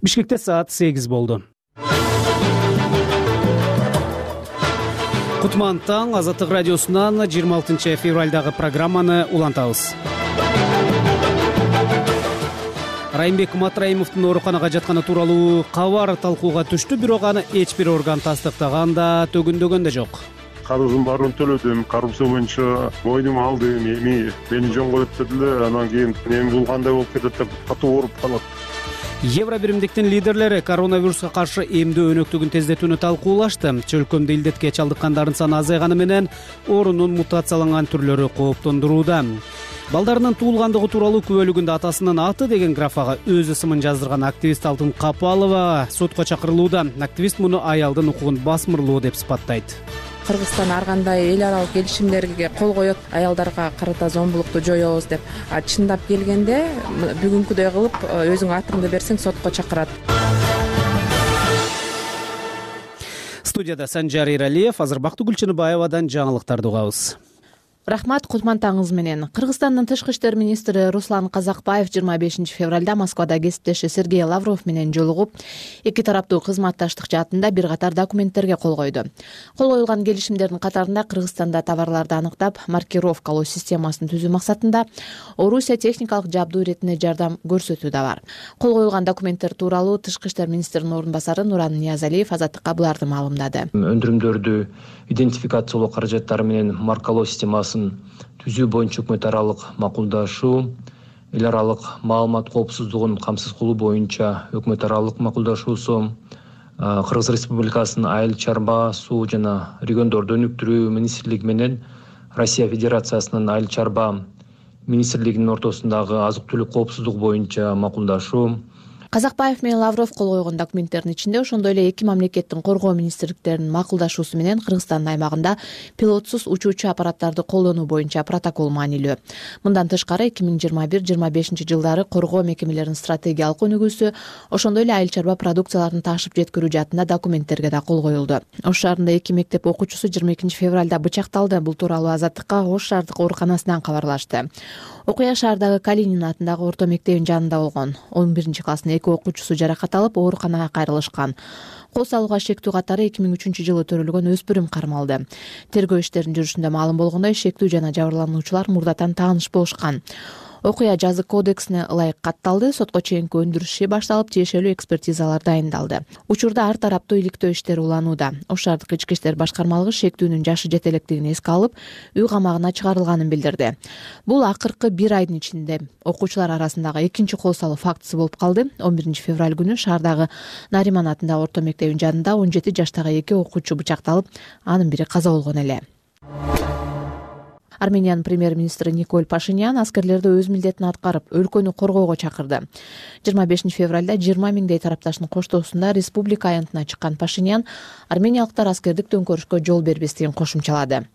Бишкекте саат 8 болду. Кутман таң, Азаттык радиосунан 26 февралдагы программаны улантабыз. Райымбек Матраимовдун ооруканага жатканы тууралуу кабар талкууга түштү, бирок аны эч бир орган тастыктаган да, төгүндөгөн да жок. Карыздын баарын төлөдүм, коррупция боюнча мойнума алдым, мени жонго өттү эле, анан кийин эми бул кандай болуп кетет деп катуу ооруп калат. Евро биримдиктин лидерлери коронавируска каршы эмдөө өнөктүгүн тездетүүнү талкуулашты. Чөлкөмдө илдетке чалдыккандардын саны азайганы менен оорунун мутацияланган түрлөрү кооптондурууда. Балдарынын туулгандыгы тууралуу күбөлүгүндө атасынын аты деген графага өз ысымын жаздырган активист Алтын Капалова сотко чакырылууда. Активист муну аялдын укугун басмырлоо деп сыпаттайт. Кыргызстан ар кандай эл аралык келишимдерге кол коет, аялдарга карата зомбулукту жоебуз деп. Чындап келгенде бүгүнкүдөй кылып өзүң атыңды берсең сотко чакырат. Студияда Санжар Иралиев, азыр Бактыгүл Чыныбаевадан жаңылыктарды угабыз. Рахмат, кутман таңыңыз менен. Кыргызстандын тышкы иштер министри Руслан Казакбаев 25 февралда Москвада кесиптеши Сергей Лавров менен жолугуп, эки тараптуу кызматташтык жаатында бир катар документтерге кол койду. Кол коюлган келишимдердин катарында Кыргызстанда товарларды аныктап, маркировкалоо системасын түзүү максатында Орусия техникалык жабдуу иретине жардам көрсөтүү да бар. Кол коюлган документтер тууралуу тышкы иштер министринин орун басары Нуран Ниязалиев Азаттыкка буларды маалымдады. Өндүрүмдөрдү идентификациялоо каражаттары менен маркалоо системасын түзүү боюнча өкмөт аралык макулдашуу, эл аралык маалымат коопсуздугун камсыз кылуу боюнча өкмөт аралык макулдашуусу, Кыргыз Республикасынын айыл чарба, суу жана региондорду өнүктүрүү министрлиги менен Россия Федерациясынын айыл чарба министрлигинин ортосундагы азык-түлүк коопсуздугу боюнча макулдашуу. Казакбаев менен Лавров кол койгон документтердин ичинде ошондой эле эки мамлекеттин коргоо министрликтеринин макулдашуусу менен Кыргызстандын аймагында пилотсуз учуучу аппараттарды колдонуу боюнча протокол маанилүү. Мындан тышкары 2021-25 жылдары коргоо мекемелеринин стратегиялык өнүгүүсү, ошондой эле айыл чарба продукцияларын ташып жеткирүү жаатында документтерге да кол коюлду. Ош шаарында эки мектеп окуучусу 22 февралда бычакталды. Бул тууралуу Азаттыкка Ош шаардык ооруканасынан кабарлашты. Окуя шаардагы Калинин атындагы орто мектебин жанында болгон. 11-класстын эки окуучусу жаракат алып, ооруканага кайрылышкан. Кол салууга шектүү катары 2003 жылы төрөлгөн өспүрүм кармалды. Тергөө иштеринин жүрүшүндө маалым болгондой, шектүү жана жабырлануучулар мурдатан тааныш болушкан. Окуя жазык кодексине ылайык катталды, сотко чейинки өндүрүш иши башталып, тиешелүү экспертизалар дайындалды. Учурда ар тараптуу иликтөө иштери уланууда. Ош шаардык ички иштер башкармалыгы шектүүнүн жашы жете электигин эске алып, үй камагына чыгарылганын билдирди. Бул акыркы бир айдын ичинде окуучулар арасындагы экинчи кол салуу фактысы болуп калды. 11 февраль күнү шаардагы Нариман атындагы орто мектебин жанында 17 жаштагы эки окуучу бычакталып, анын бири каза болгон эле. Армениянын премьер-министри Николь Пашинян аскерлерди өз милдетин аткарып, өлкөнү коргоого чакырды. 25 февралда 20 миңдей тарапташтын коштоосунда республика аянтына чыккан Пашинян армениялыктар аскердик төңкөрүшкө жол бербестигин кошумчалады.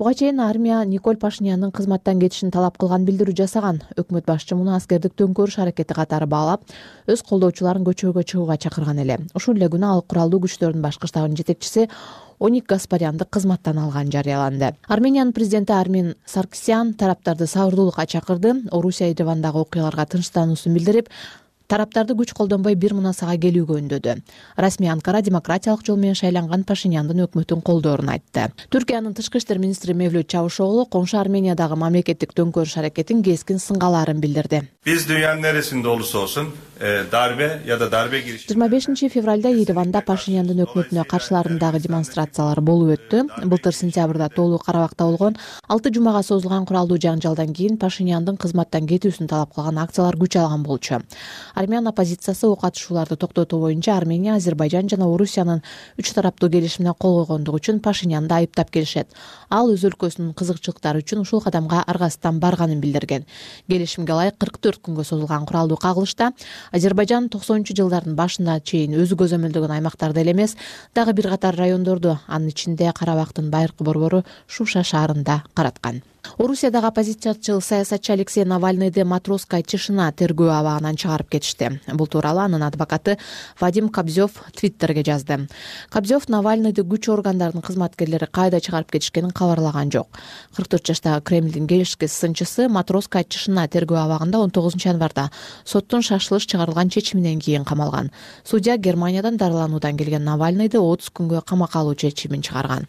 Буга чейин армия Николь Пашинянын кызматтан кетишин талап кылган билдирүү жасаган. Өкмөт башчы муну аскердик төңкөрүш аракети катары баалап, өз колдоочуларын көчөгө чыгууга чакырган эле. Ушул эле күнү ал куралдуу күчтөрдүн башкы штабынын жетекчиси Оник Гаспарянды кызматтан алган жарыяланды. Армениянын президенти Армен Саркисян тараптарды сабырдуулукка чакырды. Орусия Еревандагы окуяларга тынчтануусун билдирип, тараптарды күч колдонбой бир мунасага келүүгө үндөдү. Расмий Анкара демократиялык жол менен шайланган Пашиняндын өкмөтүн колдоорун айтты. Түркиянын тышкы иштер министри Мевлют Чавушоглу коңшу Армениядагы мамлекеттик төңкөрүш аракетин кескин сынгалаарын билдирди. Биз dünyanın neresinde olursa olsun darbe ya da darbe girişimi 25 февралда Ереванда Пашиняндын өкмөтүнө каршыларындагы демонстрациялар болуп өттү. Былтыр сентябрда Тоолуу Карабакта болгон 6 жумага созулган куралдуу жаңжалдан кийин Пашиняндын кызматтан кетүүсүн талап кылган акциялар күч алган болчу. Армян оппозициясы ок атышууларды токтотуу боюнча Армения, Азербайжан жана Орусиянын үч тараптуу келишимине кол койгондугу үчүн Пашинянды айыптап келишет. Ал өз өлкөсүнүн кызыкчылыктары үчүн ушул кадамга аргасыздан барганын билдирген. Келишимге ылайык 44 күнгө созулган куралдуу кагылышта Азербайжан 90-жылдардын башына чейин өзү көзөмөлдөгөн аймактарды эле эмес, дагы бир катар райондорду, анын ичинде Карабактын байыркы борбору Шуша шаарында караткан. Орусиядагы оппозициячыл саясатчы Алексей Навальныйды Матроская тишина тергөө абагынан чыгарып кетишти. Бул тууралуу анын адвокаты Вадим Кобзев Твиттерге жазды. Кобзев Навальныйды күч органдарынын кызматкерлери кайда чыгарып кетишкенин кабарлаган жок. 44 жаштагы Кремлдин келишки сынчысы Матроская тишина тергөө абагында 19 январда соттун шашылыш чыгарылган чечиминен кийин камалган. Судья Германиядан дарылануудан келген Навальныйды 30 күнгө камакка алуу чечимин чыгарган.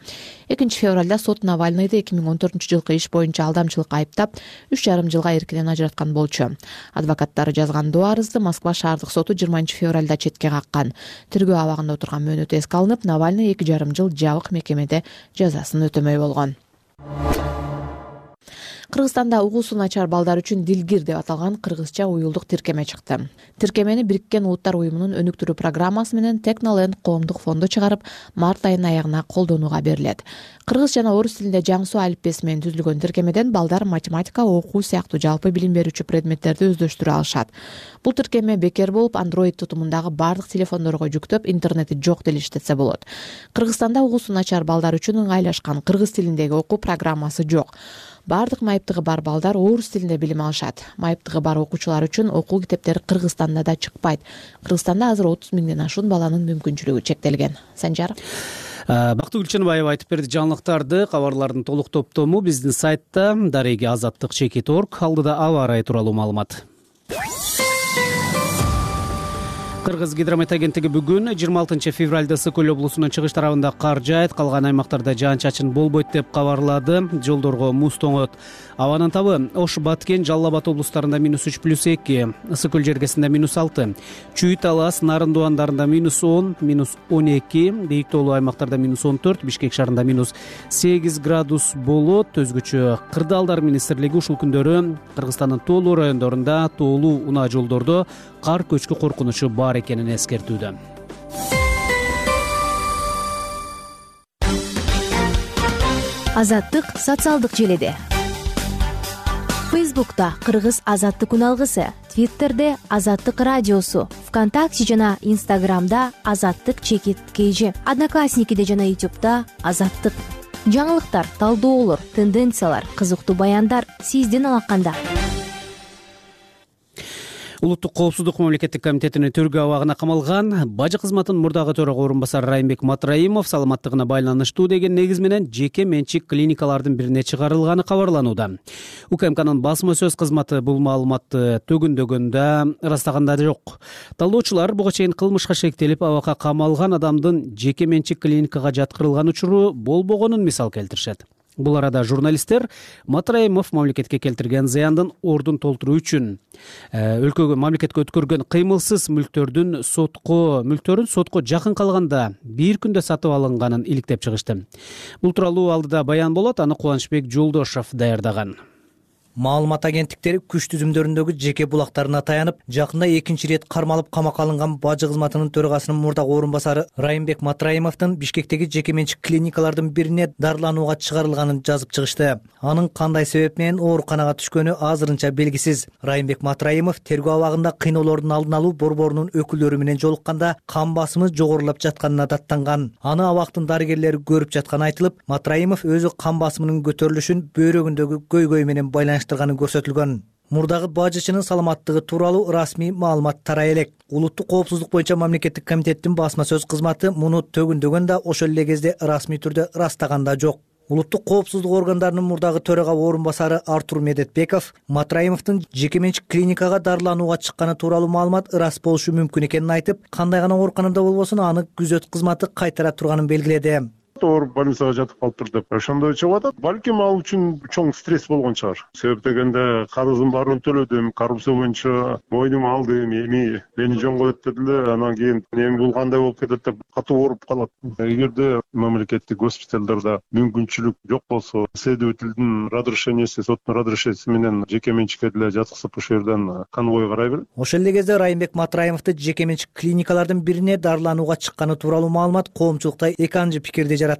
2 февралда сот Навальныйды 2014-жылкы иш боюнча алдамчылыкка айыптап 3,5 жылга эркинен ажыраткан болчу. Адвокаттары жазган доо арызды Москва шаардык соту 20 февралда четке каккан. Тергөө абагында отурган мөөнөтү эске алынып, Навальный 2,5 жыл жабык мекемеде жазасын өтөмөй болгон. Кыргызстанда угуусу начар балдар үчүн Дилгир деп аталган кыргызча уюлдук тиркеме чыкты. Тиркемени Бириккен Улуттар уюмунун өнүктүрүү программасы менен Technoland коомдук фонду чыгарып, март айынын аягына колдонууга берилет. Кыргыз жана орус тилинде жаңсуу алиппеси менен түзүлгөн тиркемеден балдар математика, окуу сыяктуу жалпы билим берүүчү предметтерди өздөштүрө алышат. Бул тиркеме бекер болуп, Android тутумундагы бардык телефондорго жүктөп, интернети жок деле иштетсе болот. Кыргызстанда угуусу начар балдар үчүн ыңгайлашкан кыргыз тилиндеги окуу программасы жок. Бардык майыптыгы бар балдар орус тилинде билим алышат. Майыптыгы бар окуучулар үчүн окуу китептери Кыргызстанда да чыкпайт. Кыргызстанда азыр 30 миңден ашуун баланын мүмкүнчүлүгү чектелген. Санжар. Бактыгүл Чыныбаева айтып берди жаңылыктарды. Кабарлардын толук топтому биздин сайтта дареги azаттык.org. Алдыда аба ырайы тууралуу маалымат. Кыргыз гидромет агенттиги бүгүн 26 февралда Ысык-Көл облусунун чыгыш тарабында кар жаайт, калган аймактарда жаан-чачын болбойт деп кабарлады. Жолдорго муз тоңот. Абанын табы Ош, Баткен, Жалал Абад облустарында -3+2, Ысык-Көл жергесинде -6, Чүй, Талас, Нарын дуандарында -10, -12, бийик тоолуу аймактарда -14, Бишкек шаарында -8 градус болот. Өзгөчө Кырдаалдар министрлиги ушул күндөрү Кыргызстандын тоолуу райондорунда тоолуу унаа жолдордо кар көчкү коркунучу бар экенин эскертүүдө. Азаттык социалдык желеде. Фейсбукта Кыргыз азаттык үналгысы, Твиттерде Азаттык радиосу, ВКонтакте жана Инстаграмда Азаттык_KG, Одноклассникиде жана Ютубта Азаттык. Жаңылыктар, талдоолор, тенденциялар, кызыктуу баяндар сиздин алаканда. Улуттук коопсуздук мамлекеттик комитетинин тергөө абагына камалган бажы кызматынын мурдагы төрага орун басары Райымбек Матраимов саламаттыгына байланыштуу деген негиз менен жеке менчик клиникалардын бирине чыгарылганы кабарланууда. УКМКнын басма сөз кызматы бул маалыматты төгүндөгөндө ырастаганда жок. Талдоочулар буга чейин кылмышка шектелип абакка камалган адамдын жеке менчик клиникага жаткырылган учуру болбогонун мисал келтиришет. Бул арада журналисттер Матраимов мамлекетке келтирген зыяндын ордун толтуруу үчүн өлкөгө мамлекетке өткөргөн кыймылсыз мүлктөрүн сотко жакын калганда бир күндө сатып алынганын иликтеп чыгышты. Бул тууралуу алдыда баян болот, аны Кубанычбек Жолдошов даярдаган. Маалымат агенттиктери күч түзүмдөрүндөгү жеке булактарына таянып, жакында экинчи ирет кармалып камакка алынган бажы кызматынын төрагасынын мурдагы орун басары Райымбек Матраимовдун Бишкектеги жеке менчик клиникалардын бирине дарыланууга чыгарылганын жазып чыгышты. Анын кандай себеп менен ооруканага түшкөнү азырынча белгисиз. Райымбек Матраимов тергөө абагында кыйноолордун алдын алуу борборунун өкүлдөрү менен жолукканда кан басымы жогорулап жатканына даттанган. Аны абактын дарыгерлери көрүп жатканы айтылып, Матраимов өзү кан басымынын көтөрүлүшүн бөйрөгүндөгү көйгөй менен байланыштырганы көрсөтүлгөн. Мурдагы бажычынын саламаттыгы тууралуу расмий маалымат тарай элек. Улуттук коопсуздук боюнча мамлекеттик комитеттин басма сөз кызматы муну төгүндөгөн да ошол эле кезде расмий түрдө ырастаган да жок. Улуттук коопсуздук органдарынын мурдагы төрага орун басары Артур Медетбеков Матраимовдун жеке менчик клиникага дарыланууга чыкканы тууралуу маалымат ырас болушу мүмкүн экенин айтып, кандай гана ооруканада болбосун аны күзөт кызматы кайтара турганын белгиледи. Ооруп больницага жатып калыптыр деп ошондой чыгып атат. Балким ал үчүн чоң стресс болгон чыгар. Себеп дегенде карыздын баарын төлөдүм, коррупция боюнча мойнума алдым, эми мени жөн коет дедиле, анан кийин эми бул кандай болуп кетет деп катуу ооруп калат. Эгерде мамлекеттик госпиталдарда мүмкүнчүлүк жок болсо, следовательдин разрешениеси, соттун разрешенияси менен жеке менчикке деле жаткызып ошол жерден конвой карай берет. Ошол эле кезде Райымбек Матраимовду жеке менчик клиникалардын бирине дарыланууга чыкканы тууралуу маалымат коомчулукта эки анчы пикирди жаратты.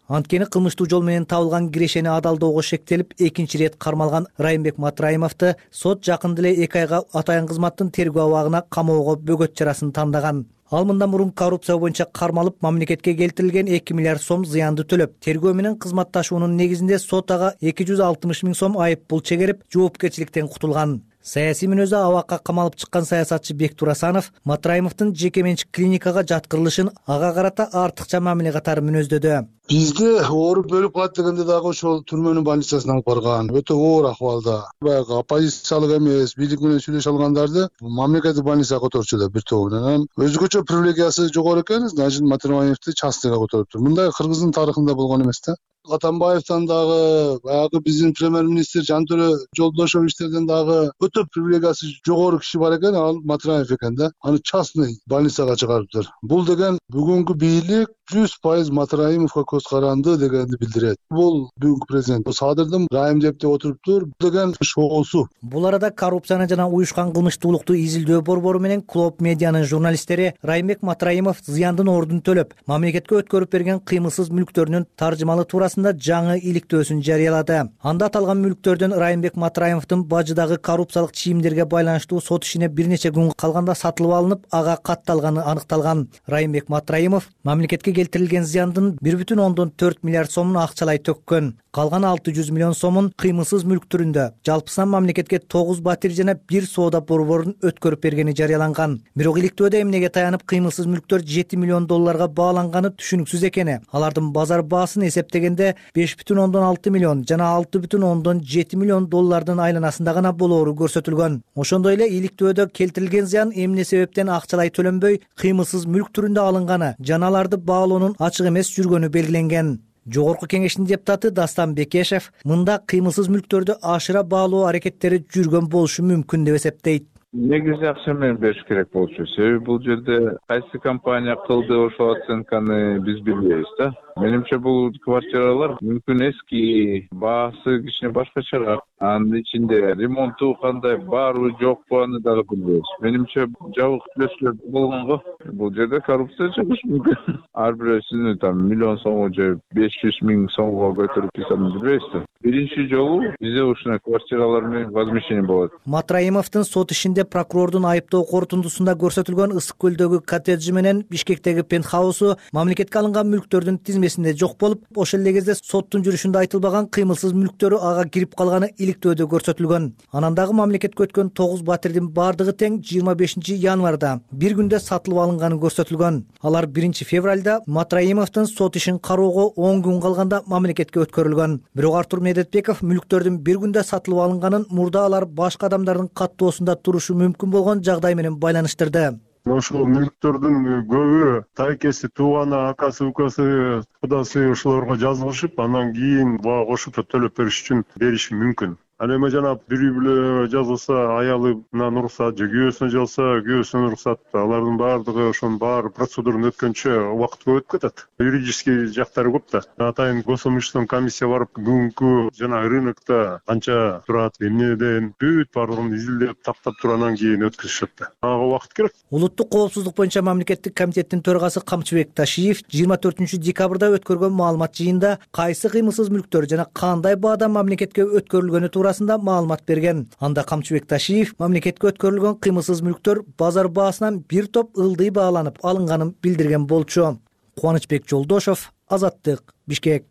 Анткени кылмыштуу жол менен табылган кирешени адалдоого шектелип, экинчи ирет кармалган Райымбек Матраимовду сот жакында эле 2 айга атайын кызматтын тергөө абагына камоого бөгөт чарасын тандаган. Ал мындан мурун коррупция боюнча кармалып мамлекетке келтирилген 2 миллиард сом зыянды төлөп, тергөө менен кызматташуунун негизинде сот ага 260 миң сом айып пул чегерип, жоопкерчиликтен кутулган. Саясий мүнөзү абакка камалып чыккан саясатчы Бектур Асанов Матраимовдун жеке менчик клиникага жаткырылышын ага карата артыкча мамиле катары мүнөздөдү. Бизде ооруп өлүп калат дегенде дагы ошол түрмөнүн больницасына алып барган. Өтө оор акыбалда. Баягы оппозициялык эмес, бийлик менен сүйлөшө алгандарды мамлекеттик больницага которчу эле бир тобу менен. Өзгөчө привилегиясы жогору экен, значит Матраимовду частныйга которуптур. Мындай Кыргыздын тарыхында болгон эмес да. Атамбаевден дагы, баягы биздин премьер-министр Жантөлө Жолдошовичтерден дагы өтө привилегиясы жогору киши бар экен, ал Матраев экен да. Аны частный больницага чыгарыптыр. Бул деген бүгүнкү бийлик 100% Матраимовго көз каранды дегенди билдирет. Бул бүгүнкү президент Садырдын Райым деп отуруптур деген шоусу. Бул арада коррупцияны жана уюшкан кылмыштуулукту изилдөө борбору менен Клоп медианын журналисттери Райымбек Матраимов зыяндын ордун төлөп, мамлекетке өткөрүп берген кыймылсыз мүлктөрүнүн таржымалы туурасында жаңы иликтөөсүн жарыялады. Анда аталган мүлктөрдөн Райымбек Матраимовдун бажыдагы коррупциялык чийимдерге байланыштуу сот ишине бир нече күн калганда сатылып алынып, ага катталганы аныкталган. Райымбек Матраимов мамлекетке келтирилген зыяндын 1,4 миллиард сомун акчалай төккөн. Калган 600 миллион сомун кыймылсыз мүлк түрүндө жалпысынан мамлекетке 9 батир жана 1 соода борборун өткөрүп бергени жарыяланган. Бирок иликтөөдө эмнеге таянып кыймылсыз мүлктөр 7 миллион долларга бааланганы түшүнүксүз экени. Алардын базар баасын эсептегенде 5,6 миллион жана 6,7 миллион доллардын айланасында гана болоору көрсөтүлгөн. Ошондой эле иликтөөдө келтирилген зыян эмне себептен акчалай төлөнбөй кыймылсыз мүлк түрүндө алынганы жана аларды баалоонун ачык эмес жүргөнү белгиленген. Жогорку кеңештин депутаты Дастан Бекешев мында кыймылсыз мүлктөрдү ашыра баалоо аракеттери жүргөн болушу мүмкүн деп эсептейт. Негизи акча менен бериш керек болчу. Себеби бул жерде кайсы компания кылды ошол оценканы биз билбейбиз да. Менимче бул квартиралар мүмкүн эски, баасы кичине башкачараак. Анын ичинде ремонту кандай барбы жокпу аны дагы билбейбиз. Менимче жабык түзөтүүлөр болгонго бул жерде коррупция чыгышы мүмкүн. Ар бирөөсүнү миллион сомго же 500 миң сомго көтөрүп койсом билбейбиз да. Биринчи жолу бизде ушундай квартиралар менен возмещение болот. Матраимовдун сот ишинде прокурордун айыптоо корутундусунда көрсөтүлгөн Ысык көлдөгү коттеджи менен Бишкектеги пентхаусу мамлекетке алынган мүлктөрдүн тизмесинде жок болуп, ошол эле кезде соттун жүрүшүндө айтылбаган кыймылсыз мүлктөрү ага кирип калганы иликтөөдө көрсөтүлгөн. Анан дагы мамлекетке өткөн 9 батирдин бардыгы тең 25 январда бир күндө сатылып алынганы көрсөтүлгөн. Алар 1 февралда Матраимовдун сот ишин кароого 10 күн калганда мамлекетке өткөрүлгөн. Бирок Артур Медетбеков мүлктөрдүн бир күндө сатылып алынганын мурда алар башка адамдардын каттоосунда турушу мүмкүн болгон жагдай менен байланыштырды. Ошол мүлктөрдүн көбү тайкеси, тууганы, акасы, укасы, кудасы ошолорго жазылышып, анан кийин буга кошуп төлөп бериш үчүн бериши мүмкүн. Ал эми жана бирөө биле жазылса, аялынан уруксат же күйөөсүнө жазылса, күйөөсүнөн уруксат, алардын баардыгы ошонун баары процедураны өткөнчө убакыт көп өтүп кетет. Юридический жактары көп да. Атайын госимущественный комиссия барып, бүгүнкү жана рынокто канча турат, эмнеден бүт баардыгын изилдеп, тактап туруп анан кийин өткөзүшөт да. Ага убакыт керек. Улуттук коопсуздук боюнча мамлекеттик комитеттин төрагасы Камчыбек Ташиев 24 декабрда өткөргөн маалымат жыйында кайсы кыймылсыз мүлктөр жана кандай баада мамлекетке өткөрүлгөнү туурасында маалымат берген. Анда Камчыбек Ташиев мамлекетке өткөрүлгөн кыймылсыз мүлктөр базар баасынан бир топ ылдый бааланып алынганын билдирген болчу. Кубанычбек Жолдошов, Азаттык, Бишкек.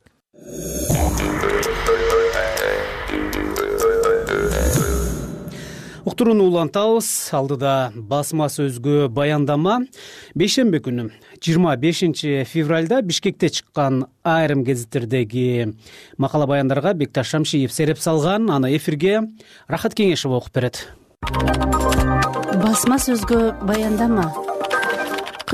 Уктурууну улантабыз. Алдыда басма сөзгө баяндама. Бейшемби күнү 25 февралда Бишкекте чыккан айрым гезиттердеги макала баяндарга Бекташ Шамшиев сереп салган. Аны эфирге Рахат Кеңешева окуп берет. Басма сөзгө баяндама.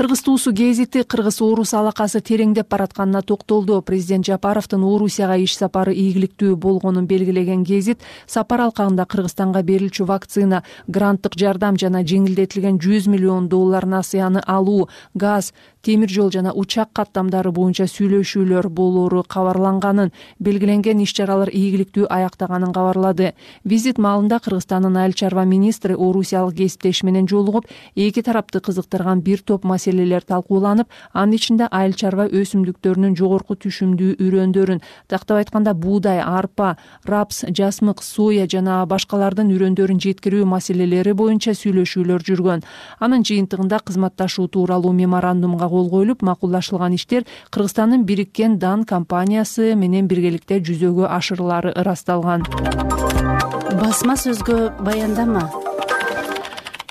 Кыргыз туусу гезити Кыргыз Орус алакасы тереңдеп баратканына токтолду. Президент Жапаровдун Орусияга иш сапары ийгиликтүү болгонун белгилеген гезит сапар алкагында Кыргызстанга берилчү вакцина, гранттык жардам жана жеңилдетилген $100 миллион насыяны алуу, газ, темир жол жана учак каттамдары боюнча сүйлөшүүлөр болоору кабарланганын, белгиленген иш чаралар ийгиликтүү аяктаганын кабарлады. Визит маалында Кыргызстандын айыл чарба министри орусиялык кесиптеши менен жолугуп, эки тарапты кызыктырган бир топ маселелер талкууланып, анын ичинде айыл чарба өсүмдүктөрүнүн жогорку түшүмдүү үрөндөрүн, тактап айтканда буудай, арпа, рапс, жасмык, соя жана башкалардын үрөндөрүн жеткирүү маселелери боюнча сүйлөшүүлөр жүргөн. Анын жыйынтыгында кызматташуу тууралуу меморандумга кол коюлуп, макулдашылган иштер Кыргызстандын бириккен Дан компаниясы менен биргеликте жүзөгө ашырылары ырасталган. Басма сөзгө баяндама.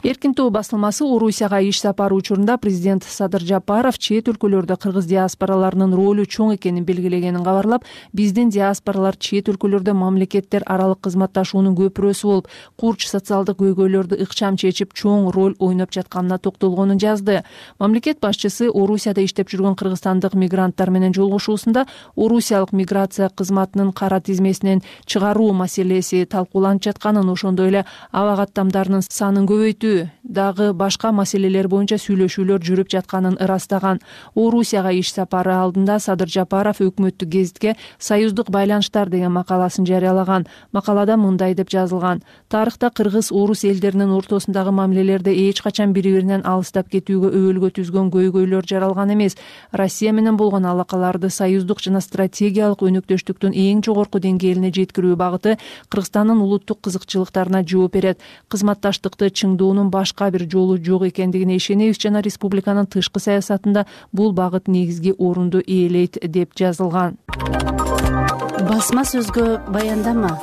Эркин тоо басылмасы Орусияга иш сапары учурунда президент Садыр Жапаров чет өлкөлөрдө кыргыз диаспораларынын ролу чоң экенин белгилегенин кабарлап, биздин диаспоралар чет өлкөлөрдө мамлекеттер аралык кызматташуунун көпүрөсү болуп, курч социалдык көйгөйлөрдү ыкчам чечип, чоң роль ойноп жатканына токтолгонун жазды. Мамлекет башчысы Орусияда иштеп жүргөн кыргызстандык мигранттар менен жолугушуусунда орусиялык миграция кызматынын кара тизмесинен чыгаруу маселеси талкууланып жатканын, ошондой эле аба каттамдарынын санын көбөйтүү дагы башка маселелер боюнча сүйлөшүүлөр жүрүп жатканын ырастаган. Орусияга иш сапары алдында Садыр Жапаров өкмөттүк гезитке «Союздук байланыштар» деген макаласын жарыялаган. Макалада мындай деп жазылган: тарыхта кыргыз-орус элдеринин ортосундагы мамилелерде эч качан бири-биринен алыстап кетүүгө өбөлгө түзгөн көйгөйлөр жаралган эмес. Россия менен болгон алакаларды союздук жана стратегиялык өнөктөштүктүн эң жогорку деңгээлине жеткирүү багыты Кыргызстандын улуттук кызыкчылыктарына жооп берет. Кызматташтыкты чыңдоонун башка бир жолу жок экендигине ишенебиз жана республиканын тышкы саясатында бул багыт негизги орунду ээлейт деп жазылган. Басма сөзгө баяндама.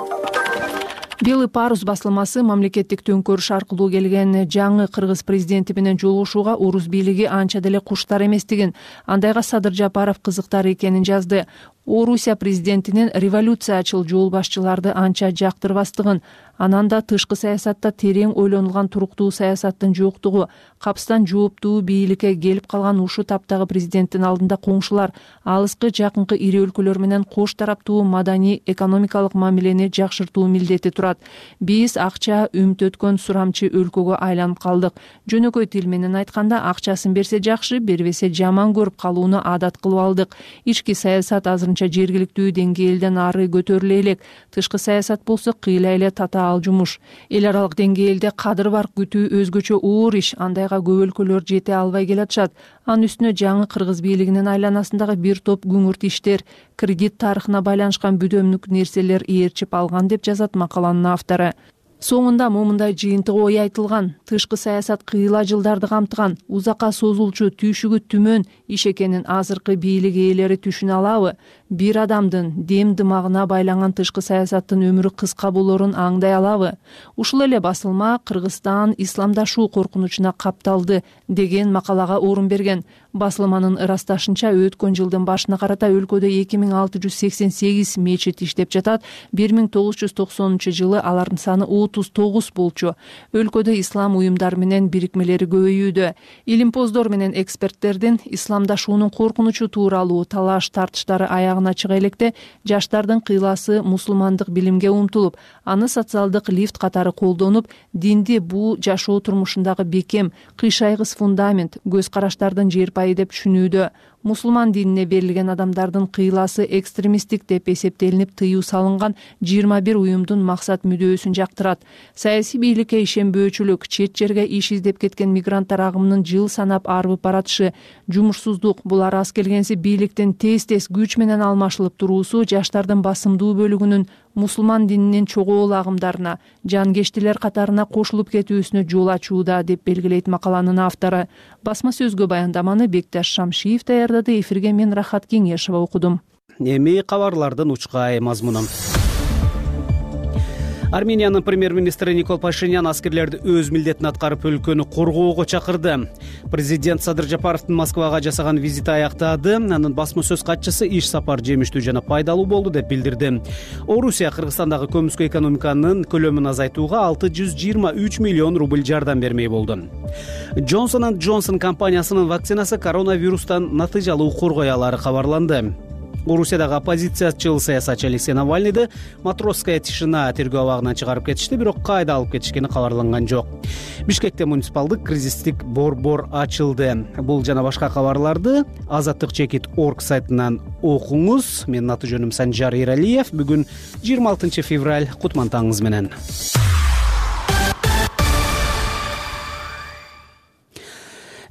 Белый парус басылмасы мамлекеттик төңкөрүш аркылуу келген жаңы кыргыз президенти менен жолугушууга орус бийлиги анча деле куштар эместигин, андайга Садыр Жапаров кызыктар экенин жазды. Орусия президентинин революциячыл жол башчыларды анча жактырбастыгын, анан да тышкы саясатта терең ойлонулган туруктуу саясаттын жоктугу, капстан жооптуу бийликке келип калган ушу таптагы президенттин алдында коңшулар, алыскы жакынкы ири өлкөлөр менен кош тараптуу маданий экономикалык мамилени жакшыртуу милдети турат. Биз акча үмүт сурамчы өлкөгө айланып калдык. Жөнөкөй тил менен айтканда, акчасын берсе жакшы, бербесе жаман көрүп калууну адат кылып алдык. Ички саясат азырынча жергиликтүү деңгээлден ары көтөрүлө элек. Тышкы саясат болсо кыйла эле татаал жумуш. Эл аралык деңгээлде кадыр бар күтүү өзгөчө оор иш, андайга көп өлкөлөр жете албай келатышат. Анын үстүнө жаңы кыргыз бийлигинин айланасындагы бир топ күңүрт иштер, кредит тарыхына байланышкан бүдөмдүк нерселер ээрчип алган деп жазат макаланын автору. Соңунда момундай жыйынтык ой айтылган: тышкы саясат кыйла жылдарды камтыган, узакка созулчу, түйшүгү түмөн иш экенин азыркы бийлик ээлери түшүнө алабы? Бир адамдын дем дымагына байланган тышкы саясаттын өмүрү кыска болоорун аңдай алабы? Ушул эле басылма Кыргызстан исламдашуу коркунучуна капталды деген макалага орун берген. Басылманын ырасташынча, өткөн жылдын башына карата өлкөдө 2688 мечит иштеп жатат. 1990-жылы алардын саны 39 болчу. Өлкөдө ислам уюмдары менен бирикмелери көбөйүүдө. Илимпоздор менен эксперттердин исламдашуунун коркунучу тууралуу талаш тартыштары аягына чыга электе, жаштардын кыйласы мусулмандык билимге умтулуп, аны социалдык лифт катары колдонуп, динди бул жашоо турмушундагы бекем, кыйшайгыс фундамент, көз караштардын жерпайы деп түшүнүүдө. Мусулман динине берилген адамдардын кыйласы экстремисттик деп эсептелинип, тыюу салынган 21 уюмдун максат мүдөөсүн жактырат. Саясий бийликке ишенбөөчүлүк, чет жерге иш издеп кеткен мигранттар агымынын жыл санап арбып баратышы, жумушсуздук, булар аз келгенси бийликтин тез-тез күч менен алмашылып туруусу жаштардын басымдуу бөлүгүнүн мусулман дининин чогуу агымдарына, жангештилер катарына кошулуп кетүүсүнө жол ачууда деп белгилейт макаланын автору. Басма сөзгө баяндаманы Бекташ Шамшиев даярдады. Эфирге мен Рахат Кеңешова окудум. Эми кабарлардын учкай мазмуну. Армениянын премьер-министри Никол Пашинян аскерлерди өз милдетин аткарып өлкөнү коргоого чакырды. Президент Садыр Жапаровдун Москвага жасаган визити аяктады. Анын басма сөз катчысы иш сапар жемиштүү жана пайдалуу болду деп билдирди. Орусия Кыргызстандагы көмүскө экономиканын көлөмүн азайтууга 623 миллион рубль жардам бермей болду. Johnson & Johnson компаниясынын вакцинасы коронавирустан натыйжалуу коргой алары кабарланды. Орусиядагы оппозициячыл саясатчы Алексей Навальныйды Матросская тишина тергөө абагынан чыгарып кетишти, бирок кайда алып кетишкени кабарланган жок. Бишкекте муниципалдык кризистик борбор ачылды. Бул жана башка кабарларды Азаттык чекит орг сайтынан окуңуз. Менин аты жөнүм Санжар Эралиев. Бүгүн 26 февраль. Кутмантаңыз менен.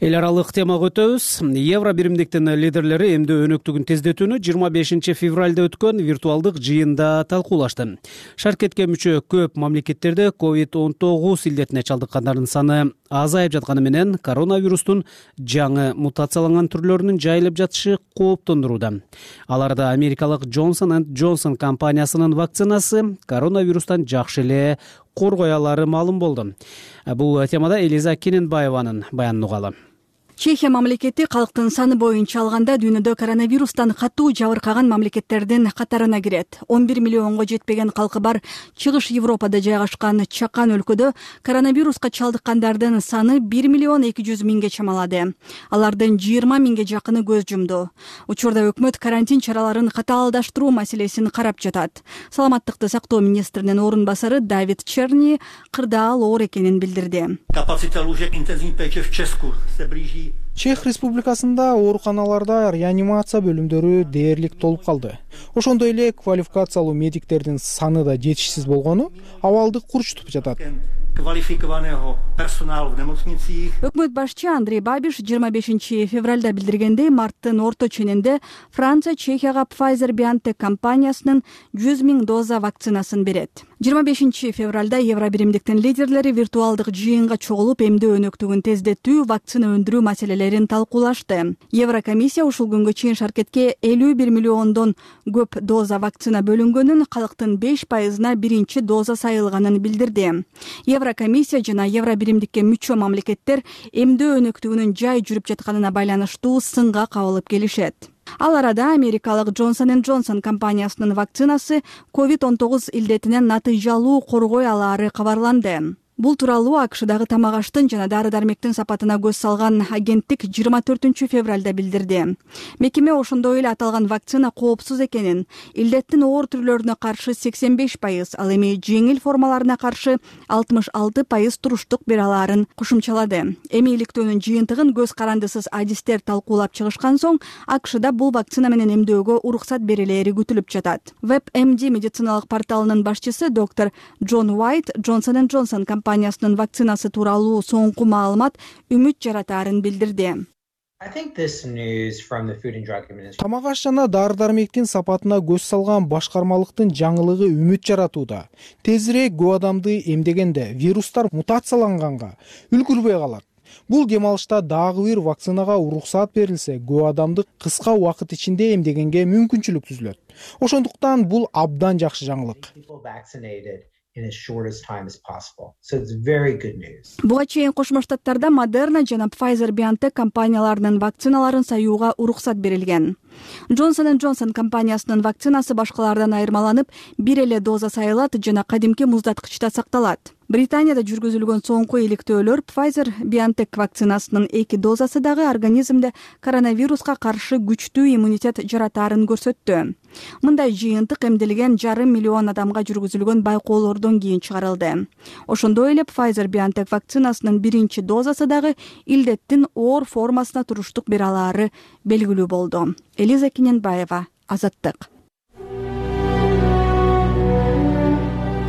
Эл аралык темага өтөбүз. Евро биримдиктин лидерлери эмдөө өнөктүгүн тездетүүнү 25 февралда өткөн виртуалдык жыйында талкуулашты. Шаркетке мүчө көп мамлекеттерде COVID-19 илдетине чалдыккандардын саны азайып жатканы менен коронавирустун жаңы мутацияланган түрлөрүнүн жайылып жатышы кооптондурууда. Аларда америкалык Johnson & Johnson компаниясынын вакцинасы коронавирустан жакшы эле коргой алары маалым болду. Бул темада Элиза Кененбаеванын баянын угалы. Чехия мамлекети калктын саны боюнча алганда дүйнөдө коронавирустан катуу жабыркаган мамлекеттердин катарына кирет. 11 миллионго жетпеген калкы бар Чыгыш Европада жайгашкан чакан өлкөдө коронавируска чалдыккандардын саны 1 миллион 200 миңге чамалады. Алардын 20 миңге жакыны көз жумду. Учурда өкмөт карантин чараларын катаалдаштыруу маселесин карап жатат. Саламаттыкты сактоо министринин орун басары Давид Черни кырдаал оор экенин билдирди. Чех Республикасында ооруканаларда реанимация бөлүмдөрү дээрлик толуп калды. Ошондой эле квалификациялуу медиктердин саны да жетишсиз болгону абалды курчутуп жатат. Өкмөт башчы Андрей Бабиш 25 февралда билдиргендей, марттын орто ченинде Франция Чехияга Pfizer-BioNTech компаниясынын 100 миң доза вакцинасын берет. 25 февралда Евро биримдиктин лидерлери виртуалдык жыйынга чогулуп эмдөө өнөктүгүн тездетүү, вакцина өндүрүү маселелерин талкуулашты. Еврокомиссия ушул күнгө чейин шаркетке 51 миллиондон көп доза вакцина бөлүнгөнүн, калктын 5%-на биринчи доза сайылганын билдирди. Еврокомиссия жана Евро биримдикке мүчө мамлекеттер эмдөө өнөктүгүнүн жай жүрүп жатканына байланыштуу сынга кабылып келишет. Ал арада америкалык Johnson & Johnson компаниясынын вакцинасы COVID-19 илдетинен натыйжалуу коргой алаары кабарланды. Бул тууралуу АКШдагы тамак-аштын жана дары-дармектин сапатына көз салган агенттик 24 февралда билдирди. Мекеме ошондой эле аталган вакцина коопсуз экенин, илдеттин оор түрлөрүнө каршы 85%, ал эми жеңил формаларына каршы 66% туруштук бере алаарын кошумчалады. Эми иликтөөнүн жыйынтыгын көз карандысыз адистер талкуулап чыгышкан соң, АКШда бул вакцина менен эмдөөгө уруксат берилери күтүлүп жатат. WebMD медициналык порталынын башчысы доктор Джон Уайт Johnson & Johnson компаниясынын вакцинасы тууралуу соңку маалымат үмүт жаратаарын билдирди. Тамак-аш жана дары-дармектин сапатына көз салган башкармалыктын жаңылыгы үмүт жаратууда. Тезирээк көп адамды эмдегенде вирустар мутацияланганга үлгүрбөй калат. Бул дем алышта дагы бир вакцинага уруксат берилсе, көп адамды кыска убакыт ичинде эмдегенге мүмкүнчүлүк түзүлөт. Ошондуктан бул абдан жакшы жаңылык. Буга чейин Кошмо Штаттарда Moderna жана Pfizer-BioNTech компанияларынын вакциналарын саюуга уруксат берилген. Johnson & Johnson компаниясынын вакцинасы башкалардан айырмаланып, бир эле доза сайылат жана кадимки муздаткычта сакталат. Британияда жүргүзүлгөн соңку иликтөөлөр Pfizer-BioNTech вакцинасынын 2 дозасы дагы организмде коронавируска каршы күчтүү иммунитет жаратаарын көрсөттү. Мындай жыйынтык эмделген 500 миллион адамга жүргүзүлгөн байкоолордон кийин чыгарылды. Ошондой эле Pfizer-BioNTech вакцинасынын биринчи дозасы дагы илдеттин оор формасына туруштук бере алаары белгилүү болду. Элиза Кененбаева, Азаттык.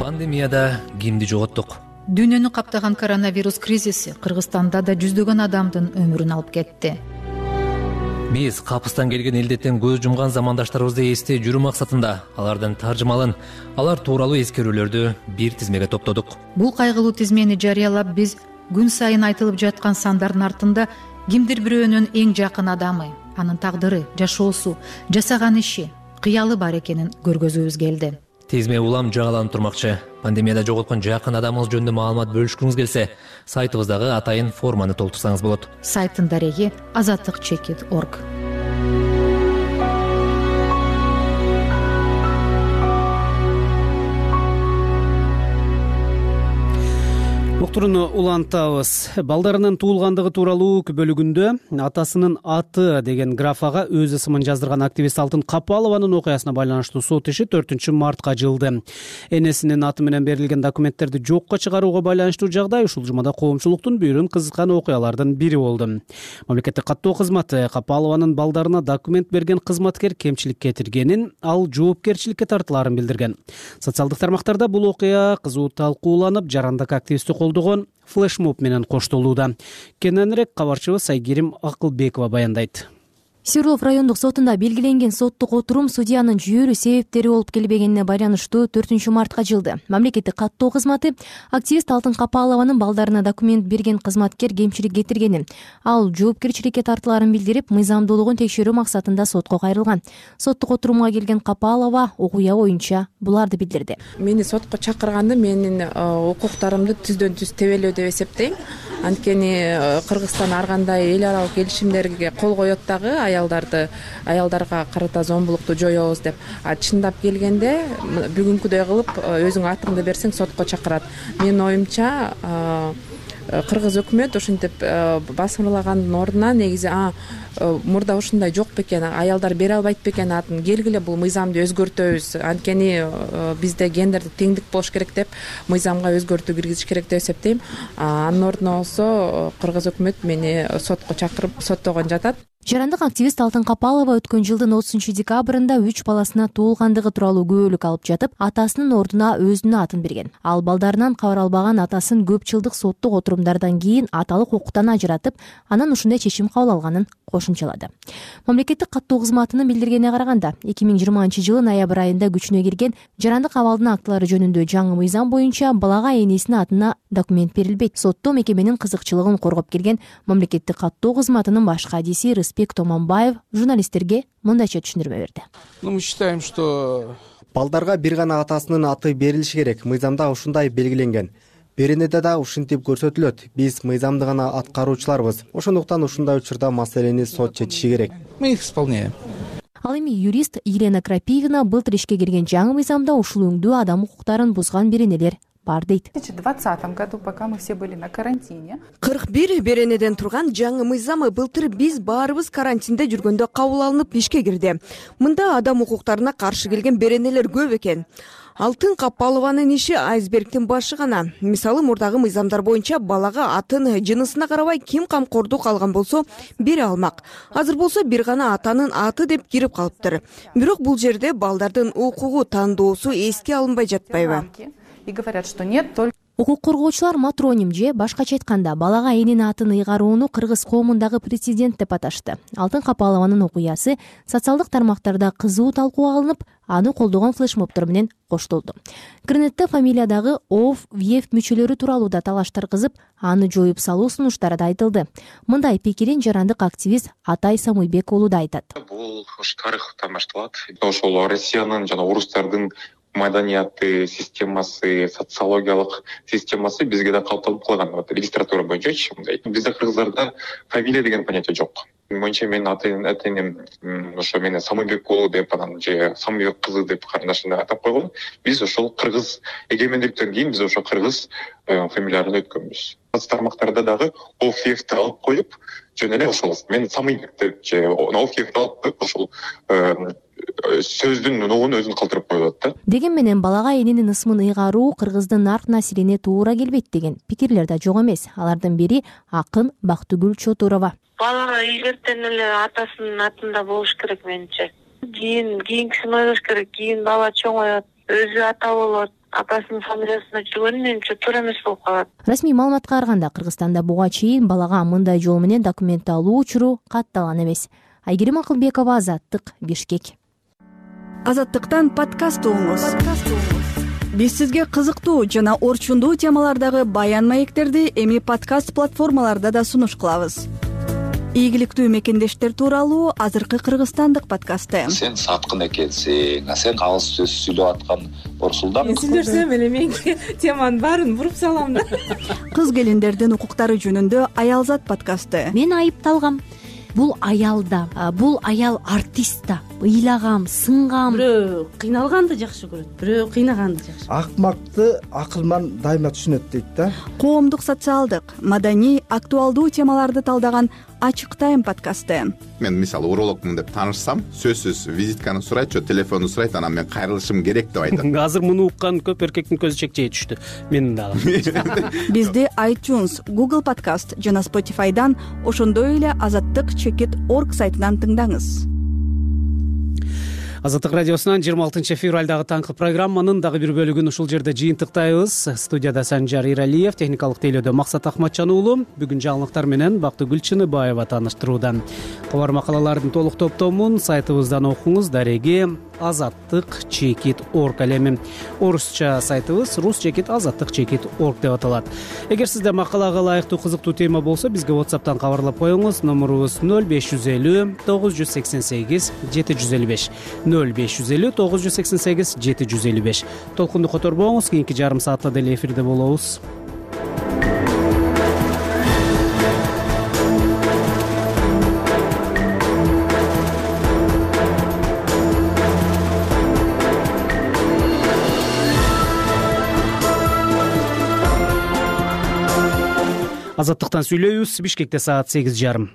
Пандемияда кимди жоготтук? Дүйнөнү каптаган коронавирус кризиси Кыргызстанда да жүздөгөн адамдын өмүрүн алып кетти. Биз капыстан келген илдеттен көз жумган замандаштарыбызды эстей жүрүү максатында алардын таржымалын, алар тууралуу эскерүүлөрдү бир тизмеге топтодук. Бул кайгылуу тизмени жарыялап, биз күн сайын айтылып жаткан сандардын артында кимдир бирөөнүн эң жакын адамы, анын тагдыры, жашоосу, жасаган иши, кыялы бар экенин көргөзүүбүз келди. Тизме улам жаңыланып турмакчы. Пандемияда жоготкон жакын адамыңыз жөнүндө маалымат бөлүшкүңүз келсе, сайтыбыздагы атайын форманы толтурсаңыз болот. Сайттын дареги azattikchekit.org. уктурууну улантабыз. Балдарынын туулгандыгы тууралуу бөлүгүндө атасынын аты деген графага өз ысымын жаздырган активист Алтын Капалованын окуясына байланыштуу сот иши 4 мартка жылды. Энесинин аты менен берилген документтерди жокко чыгарууга байланыштуу жагдай ушул жумада коомчулуктун бүйүрүн кызыккан окуялардын бири болду. Мамлекеттик каттоо кызматы Капалованын балдарына документ берген кызматкер кемчилик кетиргенин, ал жоопкерчиликке тартылаарын билдирген. Социалдык тармактарда бул окуя кызуу талкууланып, жарандык активистти колдогон флешмоб менен коштолууда. Кененирээк кабарчыбыз Айгерим Акылбекова баяндайт. Свердлов райондук сотунда белгиленген соттук отурум судьянын жүйөрү себептери болуп келбегенине байланыштуу 4 мартка жылды. Мамлекеттик каттоо кызматы активист Алтын Капалованын балдарына документ берген кызматкер кемчилик кетиргенин, ал жоопкерчиликке тартылаарын билдирип, мыйзамдуулугун текшерүү максатында сотко кайрылган. Соттук отурумга келген Капалова окуя боюнча буларды билдирди. Мени сотко чакырганды менин укуктарымды түздөн түз тебелөө деп эсептейм. Анткени Кыргызстан ар кандай эл аралык келишимдерге кол коет дагы аялдарга карата зомбулукту жоебуз деп. Чындап келгенде бүгүнкүдөй кылып өзүң атыңды берсең сотко чакырат. Менин оюмча кыргыз өкмөт ошентип басымырлагандын ордуна негизи мурда ушундай жок бекен, аялдар бере албайт бекен атын, келгиле бул мыйзамды өзгөртөбүз, анткени бизде гендердик теңдик болуш керек деп мыйзамга өзгөртүү киргизиш керек деп эсептейм. Анын ордуна болсо кыргыз өкмөт мени сотко чакырып соттогон жатат. Жарандык активист Алтын Капалова өткөн жылдын 30 декабрында 3 баласына туулгандыгы тууралуу күбөлүк алып жатып, атасынын ордуна өзүнүн атын берген. Ал балдарынан кабар албаган атасын көп жылдык соттук отурумдардан кийин аталык укуктан ажыратып, анан ушундай чечим кабыл алганын кошумчалады. Мамлекеттик каттоо кызматынын билдиргенине караганда, 2020 жылы ноябрь айында күчүнө кирген жарандык абалдын актылары жөнүндө жаңы мыйзам боюнча балага энесинин атына документ берилбейт. Сотто мекеменин кызыкчылыгын коргоп келген мамлекеттик каттоо кызматынын баш кадиси Рыспек Томонбаев журналисттерге мындайча түшүндүрмө берди. Мы считаем, что балдарга бир гана атасынын аты берилиши керек. Мыйзамда ушундай белгиленген. Беренеде да ушинтип көрсөтүлөт. Биз мыйзамды гана аткаруучуларбыз. Ошондуктан ушундай учурда маселени сот чечиши керек. Мы их исполняем. Ал эми юрист Елена Крапивина былтыр ишке кирген жаңы мыйзамда ушул өңдүү адам укуктарын бузган беренелер бар дейт. В 2020 году, пока мы все были на карантине, 41 беренеден турган жаңы мыйзамы былтыр биз баарыбыз карантинде жүргөндө кабыл алынып ишке кирди. Мында адам укуктарына каршы келген беренелер көп экен. Алтын Капалованын иши айсбергдин башы гана. Мисалы, мурдагы мыйзамдар боюнча балага атын жынысына карабай ким камкордук алган болсо бере алмак. Азыр болсо бир гана атанын аты деп кирип калыптыр. Бирок бул жерде балдардын укугу тандоосу эске алынбай жатпайбы? и говорят, что нет, только Укук коргоочулар матроним же башкача айтканда балага эненин атын ыйгарууну кыргыз коомундагы прецедент деп аташты. Алтын Капалованын окуясы социалдык тармактарда кызуу талкууга алынып, аны колдогон флешмобдор менен коштолду. Интернетте фамилиядагы ОВ, ВЕФ мүчөлөрү тууралуу да талаштар кызып, аны жоюп салуу сунуштары да айтылды. Мындай пикирин жарандык активист Атай Самуйбек уулу да айтат. Бул тарыхтан башталат. Ошол Россиянын жана орустардын маданияты системасы, социологиялык системасы бизге да калыптанып калган. Регистратура боюнча мындай. Бизде кыргыздарда фамилия деген понятие жок. Менимче менин атайым ошо мени Самуйбек уулу деп анан же Самуйбек кызы деп карындашым атап койгон. Биз ошол кыргыз эгемендиктен кийин биз ошо кыргыз фамилияларын өткөнбүз. Тармактарда дагы ОФФти алып коюп, жөн эле ошол мен Самуйбек деп же ОФФти алып коюп ошол сөздүн нугун өзүн калтырып коюлат да. Деген менен балага эненин ысмын ыйгаруу кыргыздын нарк насилине туура келбейт деген пикирлер да жок эмес. Алардын бири акын Бактыгүл Чотурова. Бала ийгертен эле атасынын атында болуш керек менимче. Кийинкисин ойлош керек. Кийин бала чоңоет, өзү ата болот, атасынын фамилиясына жүргөн менимче туура эмес болуп калат. Расмий маалыматка караганда Кыргызстанда буга чейин балага мындай жол менен документ алуу учуру катталган эмес. Айгерим Акылбекова, Азаттык, Бишкек. Азаттыктан подкаст угуңуз. Биз сизге кызыктуу жана орчундуу темалардагы баян маектерди эми подкаст платформаларда да сунуш кылабыз. Ийгиликтүү мекендештер тууралуу азыркы кыргызстандык подкасты. Сен саткын экенсиң, сен калыс сөз сүйлөп аткан Орсулдан. Мен сүйлөсөм эле менге теманын баарын буруп салам да. Кыз келиндердин укуктары жөнүндө Аялзат подкасты. Мен айыпталгам. Бул аял да, бул аял артист да. ыйлаган сынган? Бирөө кыйналганды жакшы көрөт, бирөө кыйнаганды жакшы. Акмакты акылман дайыма түшүнөт дейт да. Коомдук, социалдык, маданий, актуалдуу темаларды талдаган Ачык Тайм подкасты. Мен мисалы урологмун деп таанышсам, сөзсүз визитканы сурайт, же телефонду сурайт, анан мен кайрылышым керек деп айтат. Азыр муну уккан көп эркектин көзү чекчейе түштү. Менин дагы. Бизди iTunes, Google Podcast жана Spotify'дан, ошондой эле azattik.org сайтынан тыңдаңыз. Азаттык радиосунан 26 февралдагы таңкы программанын дагы бир бөлүгүн ушул жерде жыйынтыктайбыз. Студияда Санжар Иралиев, техникалык тейлөөдө Максат Ахматжан уулу. Бүгүн жаңылыктар менен Бактыгүл Чыныбаева тааныштырууда. Кабар макалалардын толук топтомун сайтыбыздан окуңуз. Дареги azattik.org элеми. Орусча сайтыбыз rus-azattik.org деп аталат. Эгер сизде макалага ылайыктуу кызыктуу тема болсо, бизге WhatsApp'тан кабарлап коюңуз. Номерубуз 0550 988 755. 0550 988 755. Толкунду которбоңуз, кийинки жарым саатта деле эфирде болобуз. Азаттыктан сүйлөйбүз. Бишкекте саат 8:30.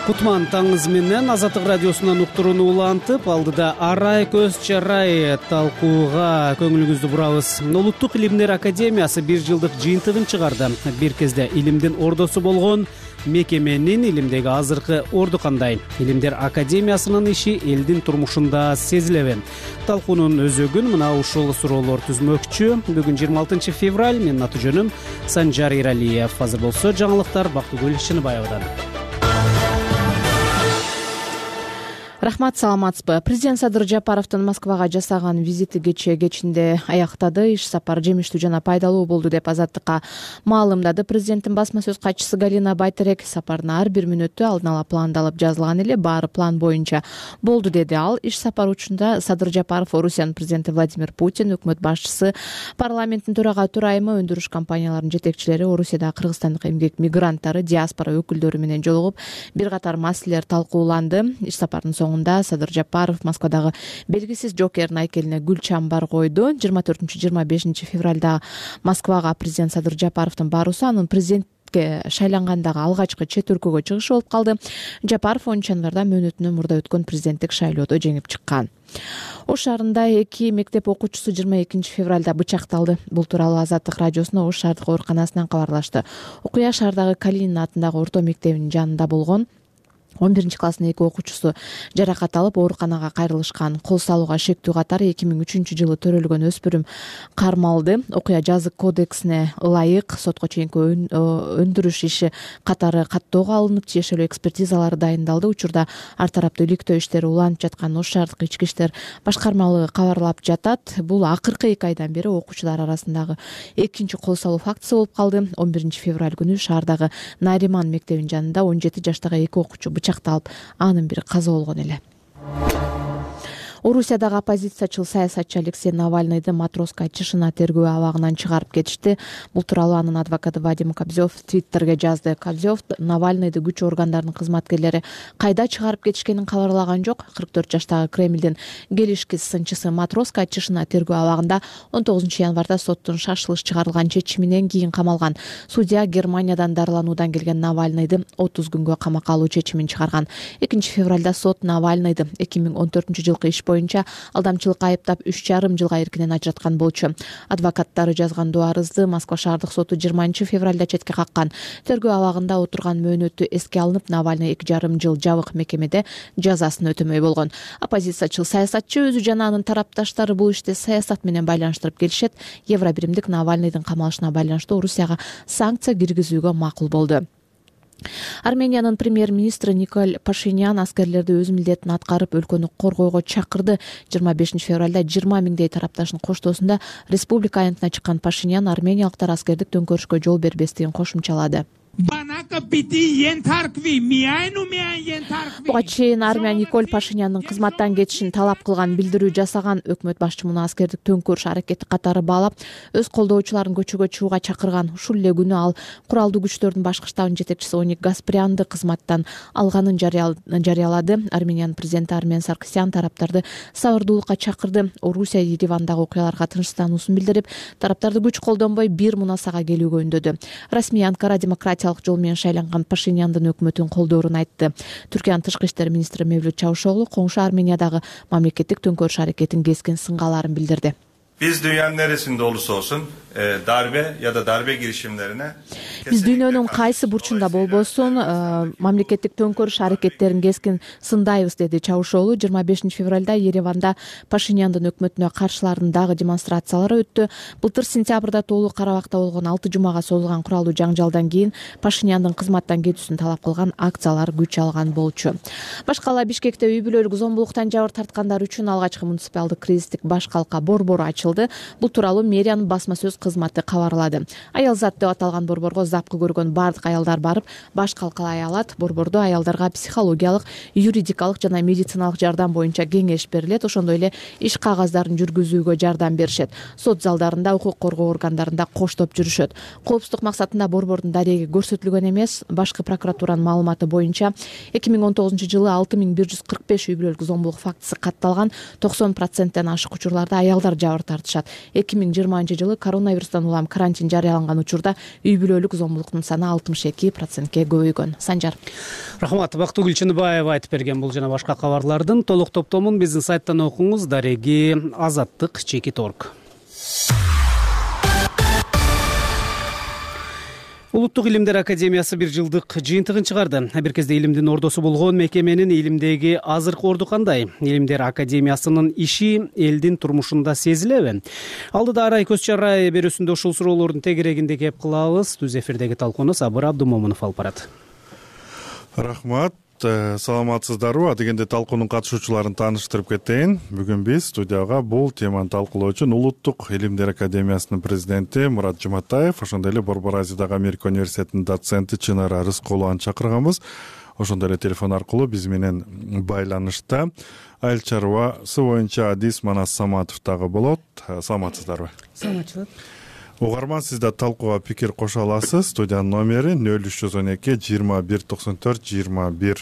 Кутман таңыз менен Азаттык радиосунан уктурууну улантып, алдыда арай көз чарай талкууга көңүлүңүздү бурабыз. Улуттук илимдер академиясы 1 жылдык жыйынтыгын чыгарды. Бир кезде илимдин ордосу болгон мекеменин илимдеги азыркы орду кандай? Илимдер академиясынын иши элдин турмушунда сезилеби? Талкуунун өзөгүн мына ушул суроолор түзмөкчү. Бүгүн 26 февраль, менин аты жөнүм Санжар Иралиев. Азыр болсо жаңылыктар Бактыгүл Чыныбаевадан. Рахмат, саламатсызбы? Президент Садыр Жапаровдун Москвага жасаган визити кечинде аяктады. Иш сапар жемиштүү жана пайдалуу болду деп Азаттыкка маалымдады президенттин басма сөз катчысы Галина Байтерек. Сапардын ар бир мүнөтү алдын ала пландалып жазылган эле, баары план боюнча болду деди ал. Иш сапар учунда Садыр Жапаров, Орусиянын президенти Владимир Путин, өкмөт башчысы, парламенттин төрага төрайымы, өндүрүш компанияларынын жетекчилери, Орусияда кыргызстандык эмгек мигранттары, диаспора өкүлдөрү менен жолугуп, бир катар маселелер талкууланды. Иш сапардын соңунда Садыр Жапаров Москвадагы белгисиз жокердин айкелине гүл чамбар койду. 24-25 февралда Москвага президент Садыр Жапаровдун баруусу анын президентке шайлангандагы алгачкы чет өлкөгө чыгышы болуп калды. Жапаров 10 январда мөөнөтүнөн мурда өткөн президенттик шайлоодо жеңип чыккан. Ош шаарында 2 мектеп окуучусу 22 февралда бычакталды. Бул тууралуу Азаттык радиосуна Ош шаардык ооруканасынан кабарлашты. Окуя шаардагы Калинин атындагы орто мектебинин жанында болгон. 11 класстын 2 окуучусу жаракат алып ооруканага кайрылышкан. Кол салууга шектүү катары 2003 жылы төрөлгөн өспүрүм кармалды. Окуя жазык кодексине ылайык сотко чейинки өндүрүш иши катары каттоого алынып, тиешелүү экспертизалары дайындалды. Учурда ар тараптуу иликтөө иштери уланып жаткан Ош шаардык ички иштер башкармалыгы кабарлап жатат. Бул акыркы 2 айдан бери окуучулар арасындагы экинчи кол салуу фактысы болуп калды. 11 февраль күнү шаардагы Нариман мектебинин жанында 17 жаштагы 2 окуучу бычакталып, анын бири каза болгон эле. Орусиядагы оппозициячыл саясатчы Алексей Навальныйды Матроска ЧШН тергөө абагынан чыгарып кетишти. Бул тууралуу анын адвокаты Вадим Кобзев Твиттерге жазды. Кобзев Навальныйды күч органдарынын кызматкерлери кайда чыгарып кетишкенин кабарлаган жок. 44 жаштагы Кремлдин келишкис сынчысы Матроска ЧШН тергөө абагында 19 январда соттун шашылыш чыгарылган чечиминен кийин камалган. Судья Германиядан дарылануудан келген Навальныйды 30 күнгө камакка алуу чечимин чыгарган. 2 февралда сот Навальныйды 2014 жылкы иш боюнча алдамчылыкка айыптап 3,5 жылга эркинен ажыраткан болчу. Адвокаттары жазган арызды Москва шаардык соту 20 февралда четке каккан. Тергөө абагында отурган мөөнөтү эске алынып, Навальный 2,5 жыл жабык мекемеде жазасын өтөмөй болгон. Оппозициячыл саясатчы өзү жана анын тарапташтары бул ишти саясат менен байланыштырып келишет. Евробиримдик Навальныйдын камалышына байланыштуу Орусияга санкция киргизүүгө макул болду. Армениянын премьер-министри Николь Пашинян аскерлерди өз милдетин аткарып, өлкөнү коргойго чакырды. 25 февралда 20 миңдей тарапташын коштоосунда республика аянтына чыккан Пашинян армениялыктар аскердик төңкөрүшкө жол бербестигин кошумчалады. Буга чейин армия Николь Пашинянын кызматтан кетишин талап кылган билдирүү жасаган өкмөт башчы муну аскердик төңкөрүш аракети катары баалап, өз колдоочуларын көчөгө чыгууга чакырган. Ушул эле күнү ал куралдуу күчтөрдүн башкы штабынын жетекчиси Оник Гаспарянды кызматтан алганын жарыялады. Армениянын президенти Армен Саркисян тараптарды сабырдуулукка чакырды. Орусия Еревандагы окуяларга тынчсыздануусун билдирип, тараптарды күч колдонбой бир мунасага келүүгө үндөдү. Расмий Анкара демократиялык жол менен шайланган Пашиняндын өкмөтүн колдоорун айтты. Түркиянын тышкы иштер министри Мевлют Чавушоглу коңшу Армениядагы мамлекеттик төңкөрүш аракетин кескин сынгааларын билдирди. Biz dünyanın neresinde olursa olsun darbe ya da darbe girişimlerine Биз дүйнөнүн кайсы бурчунда болбосун мамлекеттик төңкөрүш аракеттерин кескин сындайбыз, деди Чавушоглу. 25 февралда Ереванда Пашиняндын өкмөтүнө каршылардын дагы демонстрациялары өттү. Былтыр сентябрда толук Карабакта болгон 6 жумага созулган куралдуу жаңжалдан кийин Пашиняндын кызматтан кетүүсүн талап кылган акциялар күч алган болчу. Башкала Бишкекте үй бүлөлүк зомбулуктан жабыр тарткандар үчүн алгачкы муниципалдык кризистик баш калка борбору ачылды. Бул тууралуу мэриянын басма сөз кызматы кабарлады. Аялзат деп аталган борборго запкы көргөн бардык аялдар барып, баш калкалай алат. Борбордо аялдарга психологиялык, юридикалык жана медициналык жардам боюнча кеңеш берилет. Ошондой эле иш кагаздарын жүргүзүүгө жардам беришет. Сот залдарында, укук коргоо органдарында коштоп жүрүшөт. Коопсуздук максатында борбордун дареги көрсөтүлгөн эмес. Башкы прокуратуранын маалыматы боюнча 2019-жылы 6145 үй бүлөлүк зомбулук фактысы катталган. 90%тен ашык учурларда аялдар жабыр тартышат. 2020-жылы коронавирустан улам карантин жарыяланган учурда үй бүлөлүк зомбулуктун саны 62%ке көбөйгөн. Санжар. Рахмат. Бактыгүл Чыныбаева айтып берген бул жана башка кабарлардын толук топтомун биздин сайттан окуңуз. Дареги Азаттык Чекит.орг. Улуттук илимдер академиясы бир жылдык жыйынтыгын чыгарды. Бир кезде илимдин ордосу болгон мекеменин илимдеги азыркы орду кандай? Илимдер академиясынын иши элдин турмушунда сезилеби? Алдыда арай көз чарай берүүсүндө ушул суроолордун тегерегинде кеп кылабыз. Түз эфирдеги талкууну Сабыр Абдумомунов алып барат. Рахмат. Саламатсыздарбы? Дегенде талкуунун катышуучуларын тааныштырып кетейин. Бүгүн биз студияга бул теманы талкуулоо үчүн Улуттук илимдер академиясынын президенти Мурат Жуматаев, ошондой эле Борбор Азиядагы Америка университетинин доценти Чынара Рыскулованы чакырганбыз. Ошондой эле телефон аркылуу биз менен байланышта айыл чарбасы боюнча Адис Манас Саматов дагы болот. Саламатсыздарбы? Саламатчылык. Угарман, сиз да талкууга пикир кошо аласыз. Студиянын номери 0312 21 94 21.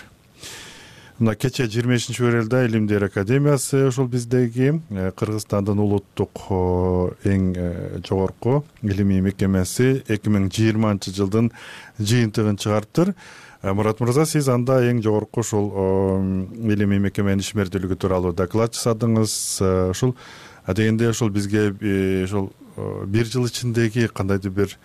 Мына кече 25 февралда Илимдер академиясы ушул биздеги Кыргызстандын улуттук эң жогорку илимий мекемеси 2020-жылдын жыйынтыгын чыгарыптыр. Мурат мырза, сиз анда эң жогорку ушул илимий мекеменин ишмердүүлүгү тууралуу доклад жасадыңыз. Ушул дегенде ушул бизге ушул бир жыл ичиндеги кандайдыр бир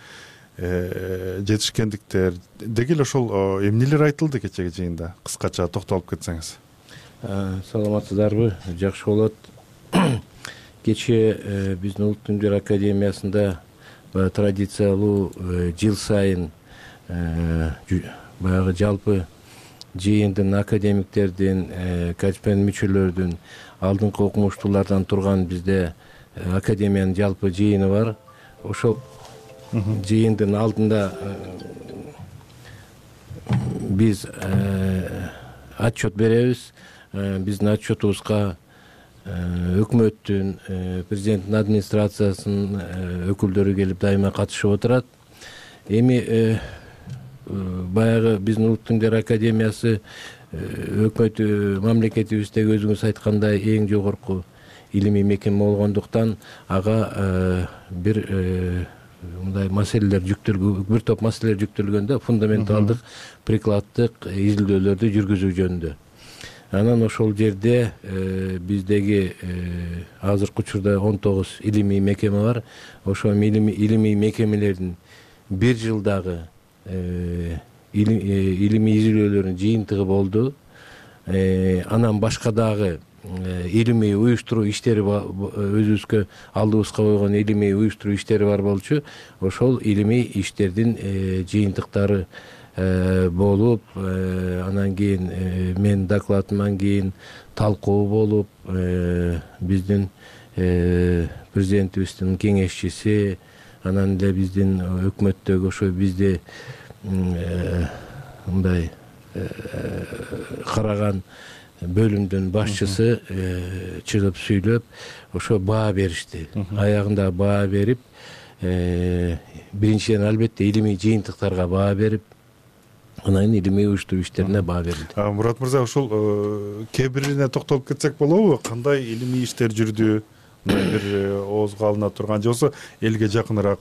жетишкендиктер деги эле ошол эмнелер айтылды кечеги жыйында? Кыскача токтолуп кетсеңиз. Саламатсыздарбы? Жакшы болот. Кече биздин Улуттук илимдер академиясында традициялуу жыл сайын баягы жалпы жыйындын академиктердин, корреспондент мүчөлөрдүн, алдыңкы окумуштуулардан турган бизде академиянын жалпы жыйыны бар. Ошол жыйындын алдында биз отчет беребиз. Биздин отчетубузга өкмөттүн, президенттин администрациясынын өкүлдөрү келип дайыма катышып отурат. Эми баягы биздин Улуттук илимдер академиясы өкмөт мамлекетибиздеги өзүңүз айткандай эң жогорку илимий мекеме болгондуктан ага бир мындай маселелер жүктөлгөн, бир топ маселелер жүктөлгөндө фундаменталдык прикладдык изилдөөлөрдү жүргүзүү жөнүндө. Анан ошол жерде биздеги азыркы учурда 19 илимий мекеме бар. Ошол илимий мекемелердин бир жылдагы илимий изилдөөлөрүнүн жыйынтыгы болду. Анан башка дагы илимий уюштуруу иштери өзүбүзгө алдыбызга койгон илимий уюштуруу иштери бар болчу. Ошол илимий иштердин жыйынтыктары болуп, анан кийин менин докладымдан кийин талкуу болуп, биздин президентибиздин кеңешчиси, анан эле биздин өкмөттөгү ошо бизди мындай караган бөлүмдүн башчысы чыгып сүйлөп ошо баа беришти. Аягында баа берип, биринчиден албетте илимий жыйынтыктарга баа берип, анан кийин илимий уюштуруу иштерине баа берилди. Мурат мырза, ушул кээ бирине токтолуп кетсек болобу? Кандай илимий иштер жүрдү? Бир оозго алына турган же болбосо элге жакыныраак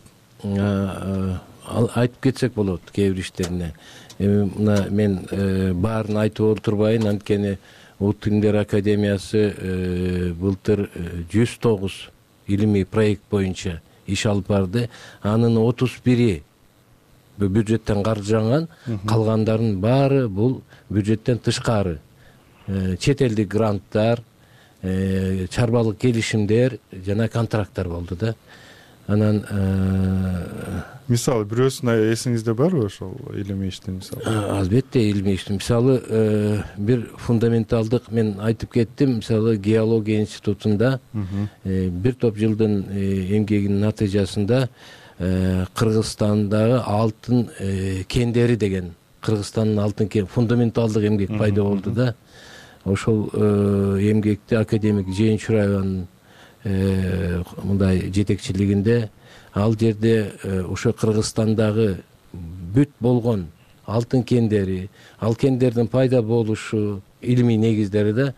айтып кетсек болот кээ бир иштерине. Мына мен баарын айтып олтурбайын, анткени Улуттук илимдер академиясы былтыр 109 илимий проект боюнча иш алып барды. Анын 31 бюджеттен каржыланган, калгандарынын баары бул бюджеттен тышкары. Чет элдик гранттар, чарбалык келишимдер жана контракттар болду да. Анан мисалы бирөөсүн эсиңизде барбы ошол илимий иштин мисалы? Албетте илимий иштин мисалы бир фундаменталдык мен айтып кеттим, мисалы геология институтунда бир топ жылдын эмгегинин натыйжасында Кыргызстандагы алтын кендери деген Кыргызстандын алтын кен фундаменталдык эмгек пайда болду да. Ошол эмгекти академик Жээн Чураеванын мындай жетекчилигинде ал жерде ошо Кыргызстандагы бүт болгон алтын кендери, ал кендердин пайда болушу, илимий негиздери да,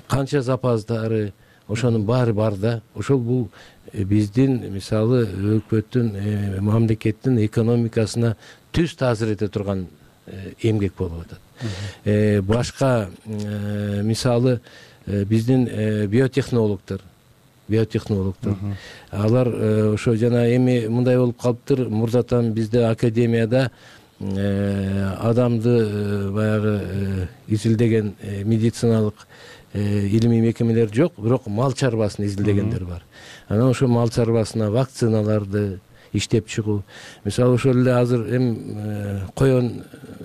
канча запастары, ошонун баары бар да. Ошол бул биздин мисалы өкмөттүн, мамлекеттин экономикасына түз таасир эте турган эмгек болуп атат. Башка мисалы биздин биотехнологдор, алар ошо жана эми мындай болуп калыптыр, мурдатан бизде академияда адамды баягы изилдеген медициналык илимий мекемелер жок, бирок мал чарбасын изилдегендер бар. Анан ошо мал чарбасына вакциналарды иштеп чыгуу. Мисалы ошол эле азыр коен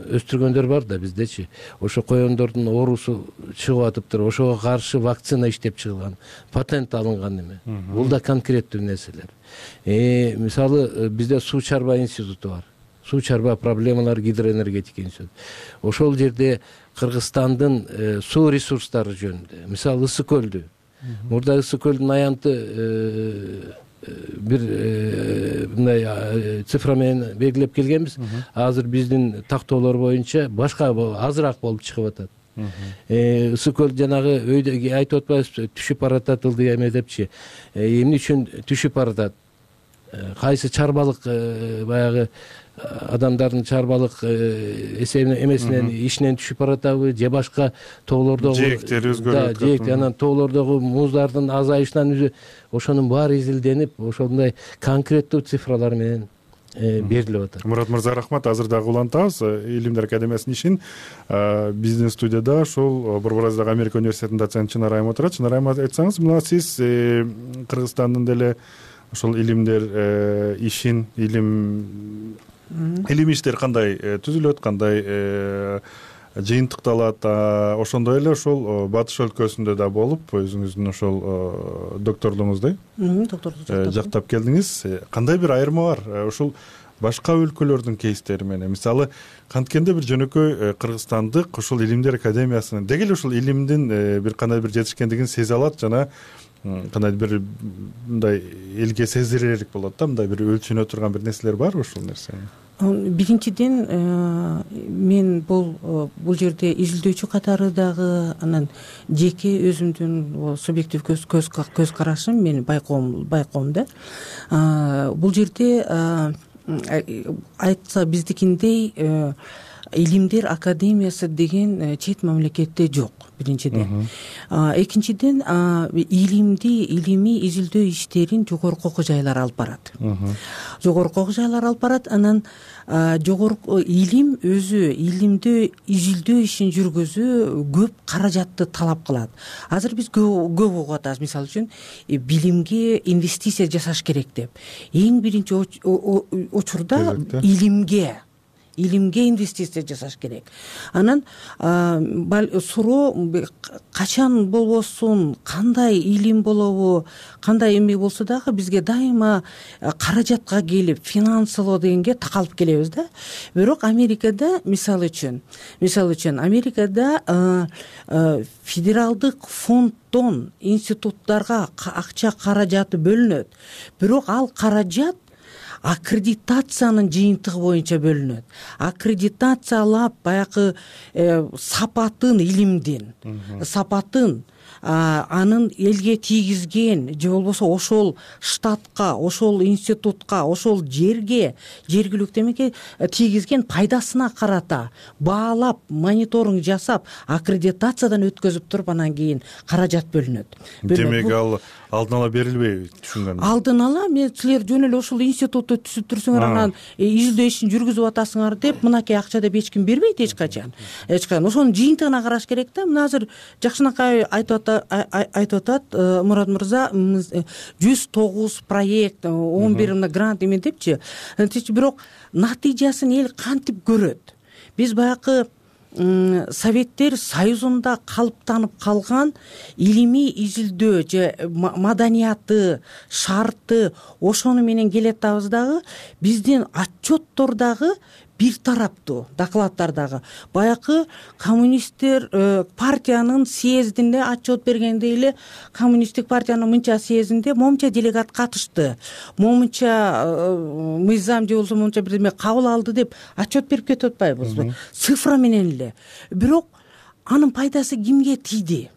өстүргөндөр бар да биздечи. Ошо коендордун оорусу чыгып атыптыр. Ошого каршы вакцина иштеп чыгылган, патент алынган эме. Бул да конкреттүү нерселер. Мисалы бизде суу чарба институту бар. Суу чарба проблемалар гидроэнергетика институту. Ошол жерде Кыргызстандын суу ресурстары жөнүндө, мисалы Ысык көлдү. Мурда Ысык көлдүн аянты бир мындай цифра менен белгилеп келгенбиз. Азыр биздин тактоолор боюнча башка азыраак болуп чыгып атат. Ысык көл жанагы өйдө айтып атпайбызбы, түшүп баратат ылдый эме депчи. Эмне үчүн түшүп баратат? Кайсы чарбалык баягы адамдардын чарбалык эмесинен ишинен түшүп баратабы же башка тоолордогу жээктери өзгөрүп атат. Жээк анан тоолордогу муздардын азайышынан ошонун баары изилденип, ошондой конкреттүү цифралар менен берилип атат. Мурат мырза, рахмат. Азыр дагы улантабыз Илимдер академиясынын ишин. Биздин студияда ошол Борбордагы Америка университетинин доценти Чынар айым отурат. Чынар айым, айтсаңыз, мына сиз Кыргызстандын деле ошол илимдер ишин, илимий иштер кандай түзүлөт, кандай жыйынтыкталат, ошондой эле ошол батыш өлкөсүндө да болуп, өзүңүздүн ошол докторлугуңузду жактап келдиңиз. Кандай бир айырма бар ушул башка өлкөлөрдүн кейстери менен? Мисалы, канткенде бир жөнөкөй кыргызстандык ошол Илимдер академиясынын деги эле ушул илимдин бир кандай бир жетишкендигин сезе алат жана кандай бир мындай элге сездирерлик болот да, мындай бир өлчөнө турган бир нерселер барбы ушул нерсе? Биринчиден мен бул жерде изилдөөчү катары дагы анан жеке өзүмдүн субъектив көз карашым, мен байкоом да. Бул жерде айтса биздикиндей Илимдер академиясы деген чет мамлекетте жок, биринчиден. Экинчиден илимий изилдөө иштерин жогорку окуу жайлар алып барат. Жогорку окуу жайлар алып барат, анан жогорку илим өзү илимдөө изилдөө ишин жүргүзүү көп каражатты талап кылат. Азыр биз көп угуп атабыз, мисалы үчүн билимге инвестиция жасаш керек деп. Эң биринчи учурда илимге илимге инвестиция жасаш керек. Анан суроо качан болбосун, кандай илим болобу, кандай эме болсо дагы бизге дайыма каражатка келип финансылоо дегенге такалып келебиз да. Бирок Америкада мисалы үчүн Америкада федералдык фонддон институттарга акча каражаты бөлүнөт. Бирок ал каражат аккредитациянын жыйынтыгы боюнча бөлүнөт. Аккредитациялап баягы сапатын, илимдин сапатын анын элге тийгизген же болбосо ошол штатка, ошол институтка, ошол жерге, жергиликтүү эмеге тийгизген пайдасына карата баалап, мониторинг жасап, аккредитациядан өткөзүп туруп анан кийин каражат бөлүнөт. Демек ал алдын ала берилбейби, түшүнгөнүм? Алдын ала силер жөн эле ошол институтты түзүп турсуңар, анан изилдөө ишин жүргүзүп атасыңар деп мынакей акча деп эч ким бербейт эч качан. Ошонун жыйынтыгына караш керек да. Мына азыр жакшынакай айтып атат Мурат мырза, 109 проект, 11 мына грант эме депчи. Бирок натыйжасын эл кантип көрөт? Биз баягы Советтер Союзунда калыптанып калган илимий изилдөө же маданияты, шарты ошону менен келатабыз дагы. Биздин отчеттор дагы бир тараптуу, докладдар дагы. Баягы коммунисттер партиянын съездинде отчет бергенде эле коммунисттик партиянын мынча съездинде момунча делегат катышты, момунча мыйзам же болбосо момунча бир эме кабыл алды деп отчет берип кетип атпайбызбы? Цифра менен эле. Бирок анын пайдасы кимге тийди?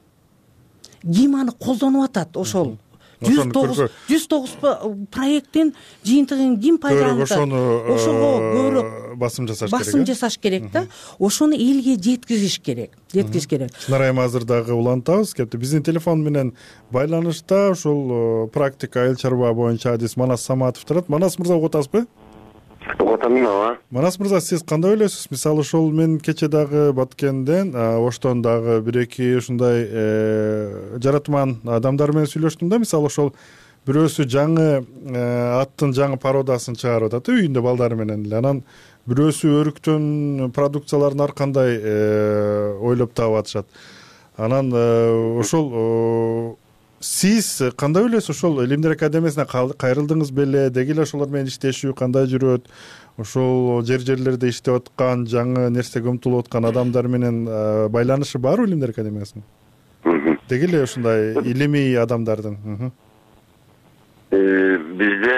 Ким аны колдонуп атат? Ошол 109 проекттин жыйынтыгын ким пайдаланат? Ошого көбүрөөк басым жасаш керек да. Ошону элге жеткизиш керек. Чынар айым азыр дагы улантабыз. Кепти биздин телефон менен байланышта ушул практика айыл чарба боюнча адис Манас Саматов турат. Манас мырза угуп атасызбы? Угуп атам, ооба. Манас мырза, сиз кандай ойлойсуз? Мисалы ошол мен кече дагы Баткенден, оштон дагы бир-эки ушундай жаратман адамдар менен сүйлөштүм да. Мисалы ошол бирөөсү жаңы аттын жаңы пародасын чыгарып атат үйүндө балдары менен эле. Анан бирөөсү өрүктөн продукцияларын ар кандай ойлоп таап атышат. Анан ошол сиз кандай ойлойсуз? Ошол Илимдер академиясына кайрылдыңыз беле? Деги эле ошолор менен иштешүү кандай жүрөт? Ошол жерлерде иштеп аткан, жаңы нерсеге умтулуп аткан адамдар менен байланышы барбы Илимдер академиясынын? Деги эле ушундай илимий адамдардын? Бизде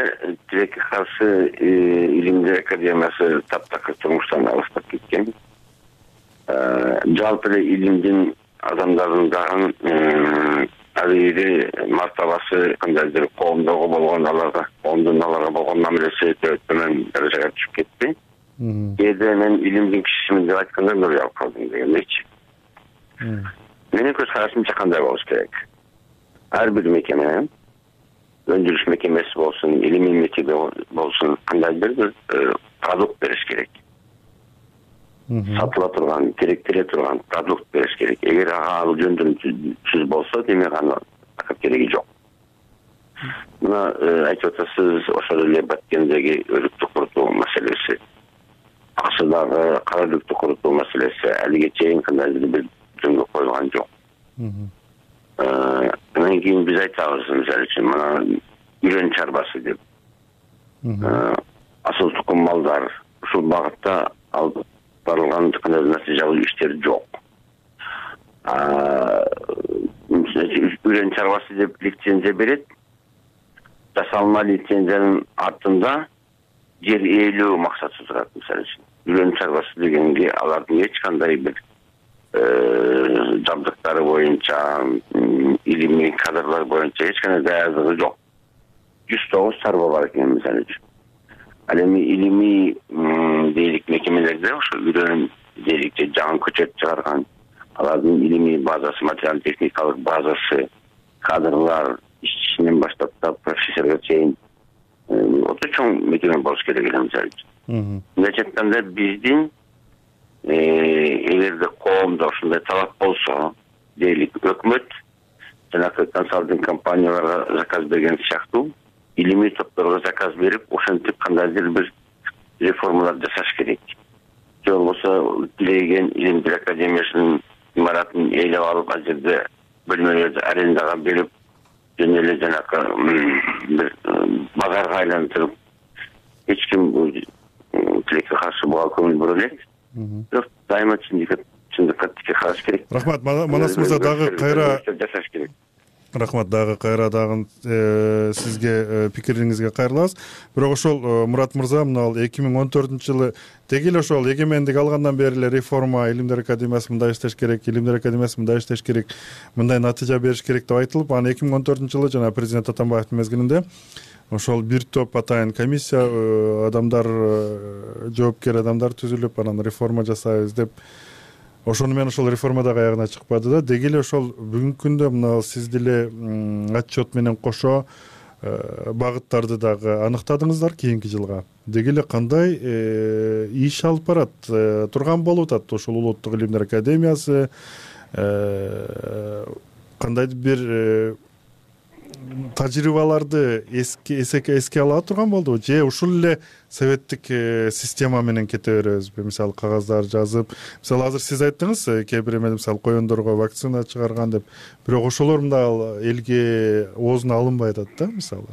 тилекке каршы Илимдер академиясы таптакыр турмуштан алыстап кеткен. Жалпы эле илимдин адамдардын дагы алири мартабасы кандайдыр коомдогу болгон коомдун аларга болгон мамилеси төмөн даражага түшүп кетти. Кээде мен илимдин кишисимин деп айтканда өлүп алып калдым дегендейчи. Менин көз карашымча кандай болуш керек? Ар бир мекеме, өндүрүш мекемеси болсун, илимий мекеме болсун, кандайдыр бир продукт бериш керек. Сатыла турган, керектеле турган продукт бериш керек. Эгер ал жөндөмсүз болсо, демек аны такыр кереги жок. Мына айтып атасыз, ошол эле Баткендеги өрүктү курутуу маселеси, Аксудагы кара өрүктү курутуу маселеси алиге чейин кандайдыр бир жөнгө коюлган жок. Анан кийин биз айтабыз, мисалы үчүн мына үрөн чарбасы деп. Асыл тукум малдар ушул багытта алып барылган кандайдыр натыйжалуу иштер жок. Үрөн чарбасы деп лицензия берет. Жасалма лицензиянын артында жер ээлөө максаты турат, мисалы үчүн. Үрөн чарбасы дегенге алардын эч кандай бир жабдыктары боюнча, илимий кадрлар боюнча эч кандай даярдыгы жок. 109 чарба бар экен, мисалы үчүн. Ал эми илимий дейлик мекемелерде ошо үрөн дейлик жаңы көчөт чыгарган, алардын илимий базасы, материал техникалык базасы, кадрлар, ишчисинен баштап та профессорго чейин өтө чоң мекеме болуш керек эле, мисалы үчүн. Мындайча айтканда биздин эгерде коомдо ушундай талап болсо, дейлик өкмөт жанагы консалтинг компанияларга заказ берген сыяктуу илимий топторго заказ берип, ошентип кандайдыр бир реформалар жасаш керек. же болбосо Тилеген Илимдер академиясынын имаратын ээлеп алып, ал жерде бөлмөлөрдү арендага берип, жана эле жанакы бир базарга айлантырып, эч ким бул тилекке каршы буга көңүл бура элек. Бирок дайыма чындыкка тике караш керек. Рахмат, Манас мырза, дагы кайра жашаш керек. Рахмат, дагы кайра сизге пикириңизге кайрылабыз. Бирок ошол Мурат мырза, мына 2014-жылы деги эле ошол эгемендик алгандан бери эле реформа, Илимдер академиясы мындай иштеш керек, Илимдер академиясы мындай иштеш керек, мындай натыйжа бериш керек деп айтылып, анан 2014-жылы жана президент Атамбаевдин мезгилинде ошол бир топ атайын комиссия, адамдар, жоопкер адамдар түзүлүп, анан реформа жасайбыз деп, ошону менен ошол реформа дагы аягына чыкпады да. Деги эле ошол бүгүнкү күндө мына сиз деле отчет менен кошо багыттарды дагы аныктадыңыздар кийинки жылга. Деги эле кандай иш алып барат турган болуп атат ошол улуттук илимдер академиясы, кандайдыр бир тажрыйбаларды эске ала турган болдубу, же ушул эле советтик система менен кете беребизби? Мисалы кагаздар жазып, мисалы азыр сиз айттыңыз, кээ бир эме мисалы коёндорго вакцина чыгарган деп, бирок ошолор мындай элге оозуна алынбай атат да. Мисалы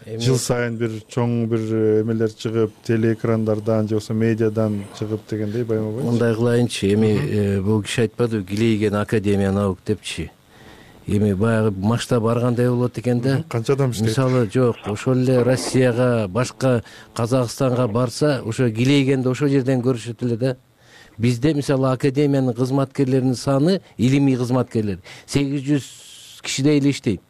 жыл сайын бир чоң бир эмелер чыгып, телеэкрандардан же болбосо медиадан чыгып дегендей байма-бай. Мындай кылайынчы, эми бул киши айтпадыбы, Гилейген академия наук депчи. Эми баягы масштаб баргандай болот экен да. Канча адам иштейт? Мисалы жок, ошол эле Россияга, башка Казакстанга барса, ошо Гилейгенди ошол жерден көрүшөт эле да. Бизде мисалы академиянын кызматкерлеринин саны, илимий кызматкерлер 800 кишидей эле иштейт.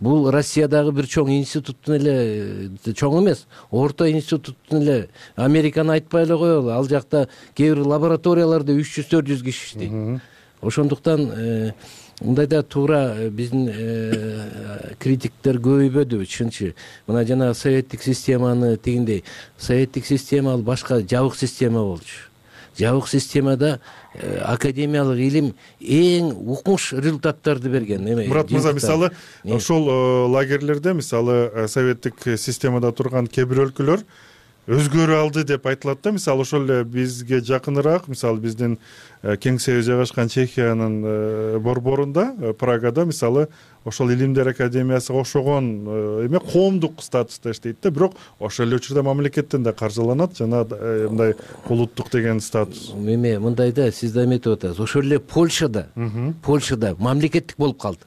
Бул Россиядагы бир чоң институттун эле, чоң эмес, орто институттун эле, Американы айтпай эле коелу, ал жакта кээ бир лабораторияларда 300-400 киши иштейт. Ошондуктан мындайда туура биздин критиктер көбөйбөдүбү, чынчы. Мына жана советтик системаны тигиндей, советтик система ал башка жабык система болчу. Жабык системада академиялык илим эң укмуш результаттарды берген. Мурат мырза, мисалы ошол лагерлерде, мисалы советтик системада турган кээ бир өлкөлөр өзгөрө алды деп айтылат да. Мисалы ошол эле бизге жакыныраак, мисалы биздин кеңсеби жайгашкан Чехиянын борборунда, Прагада, мисалы ошол Илимдер академиясыга окшогон эме коомдук статуста иштейт да, бирок ошол эле учурда мамлекеттен да каржыланат, жана мындай улуттук деген статус. Эме мындай да, сиз да эметип атасыз. Ошол эле Польшада мамлекеттик болуп калды.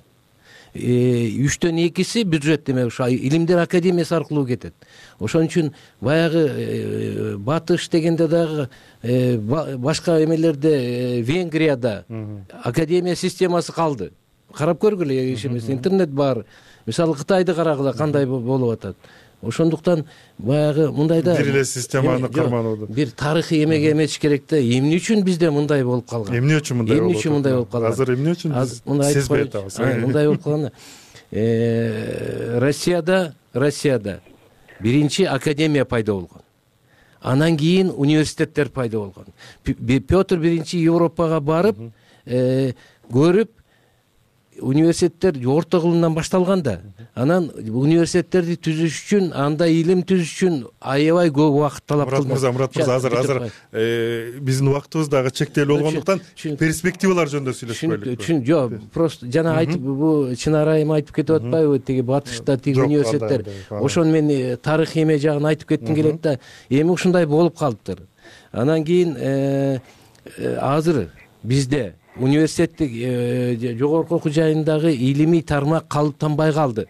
3төн 2 бюджет эме ошо Илимдер академиясы аркылуу кетет. Ошон үчүн баягы батыш дегенде дагы башка эмелерде, Венгрияда академия системасы калды. Карап көргүлө, ишемес, интернет бар. Мисалы Кытайды карагыла кандай болуп атат. Ошондуктан баягы мындайда бир эле системаны карманууда бир тарыхый эмеге эметиш керек да. Эмне үчүн бизде мындай болуп калган? Эмне үчүн мындай болуп калган? Азыр эмне үчүн сезбей атабыз? Мындай болуп калган. Россияда биринчи академия пайда болгон. Анан кийин университеттер пайда болгон. Петр биринчи Европага барып, көрүп, университеттер орто кылымдан башталган да. Анан университеттерди түзүш үчүн, анда илим түзүш үчүн аябай көп убакыт талап кылды. Мурат мырза, азыр биздин убактыбыз дагы чектелүү болгондуктан перспективалар жөнүндө сүйлөшпөйлүк. Жок, просто жана айтып, бул чын арайым айтып кетип атпайбы, тиги батышта тиги университеттер. Ошону мен тарыхый эме жагын айтып кетким келет да. Эми ушундай болуп калыптыр. Анан кийин азыр бизде университеттик жогорку окуу жайындагы илимий тармак калыптанбай калды.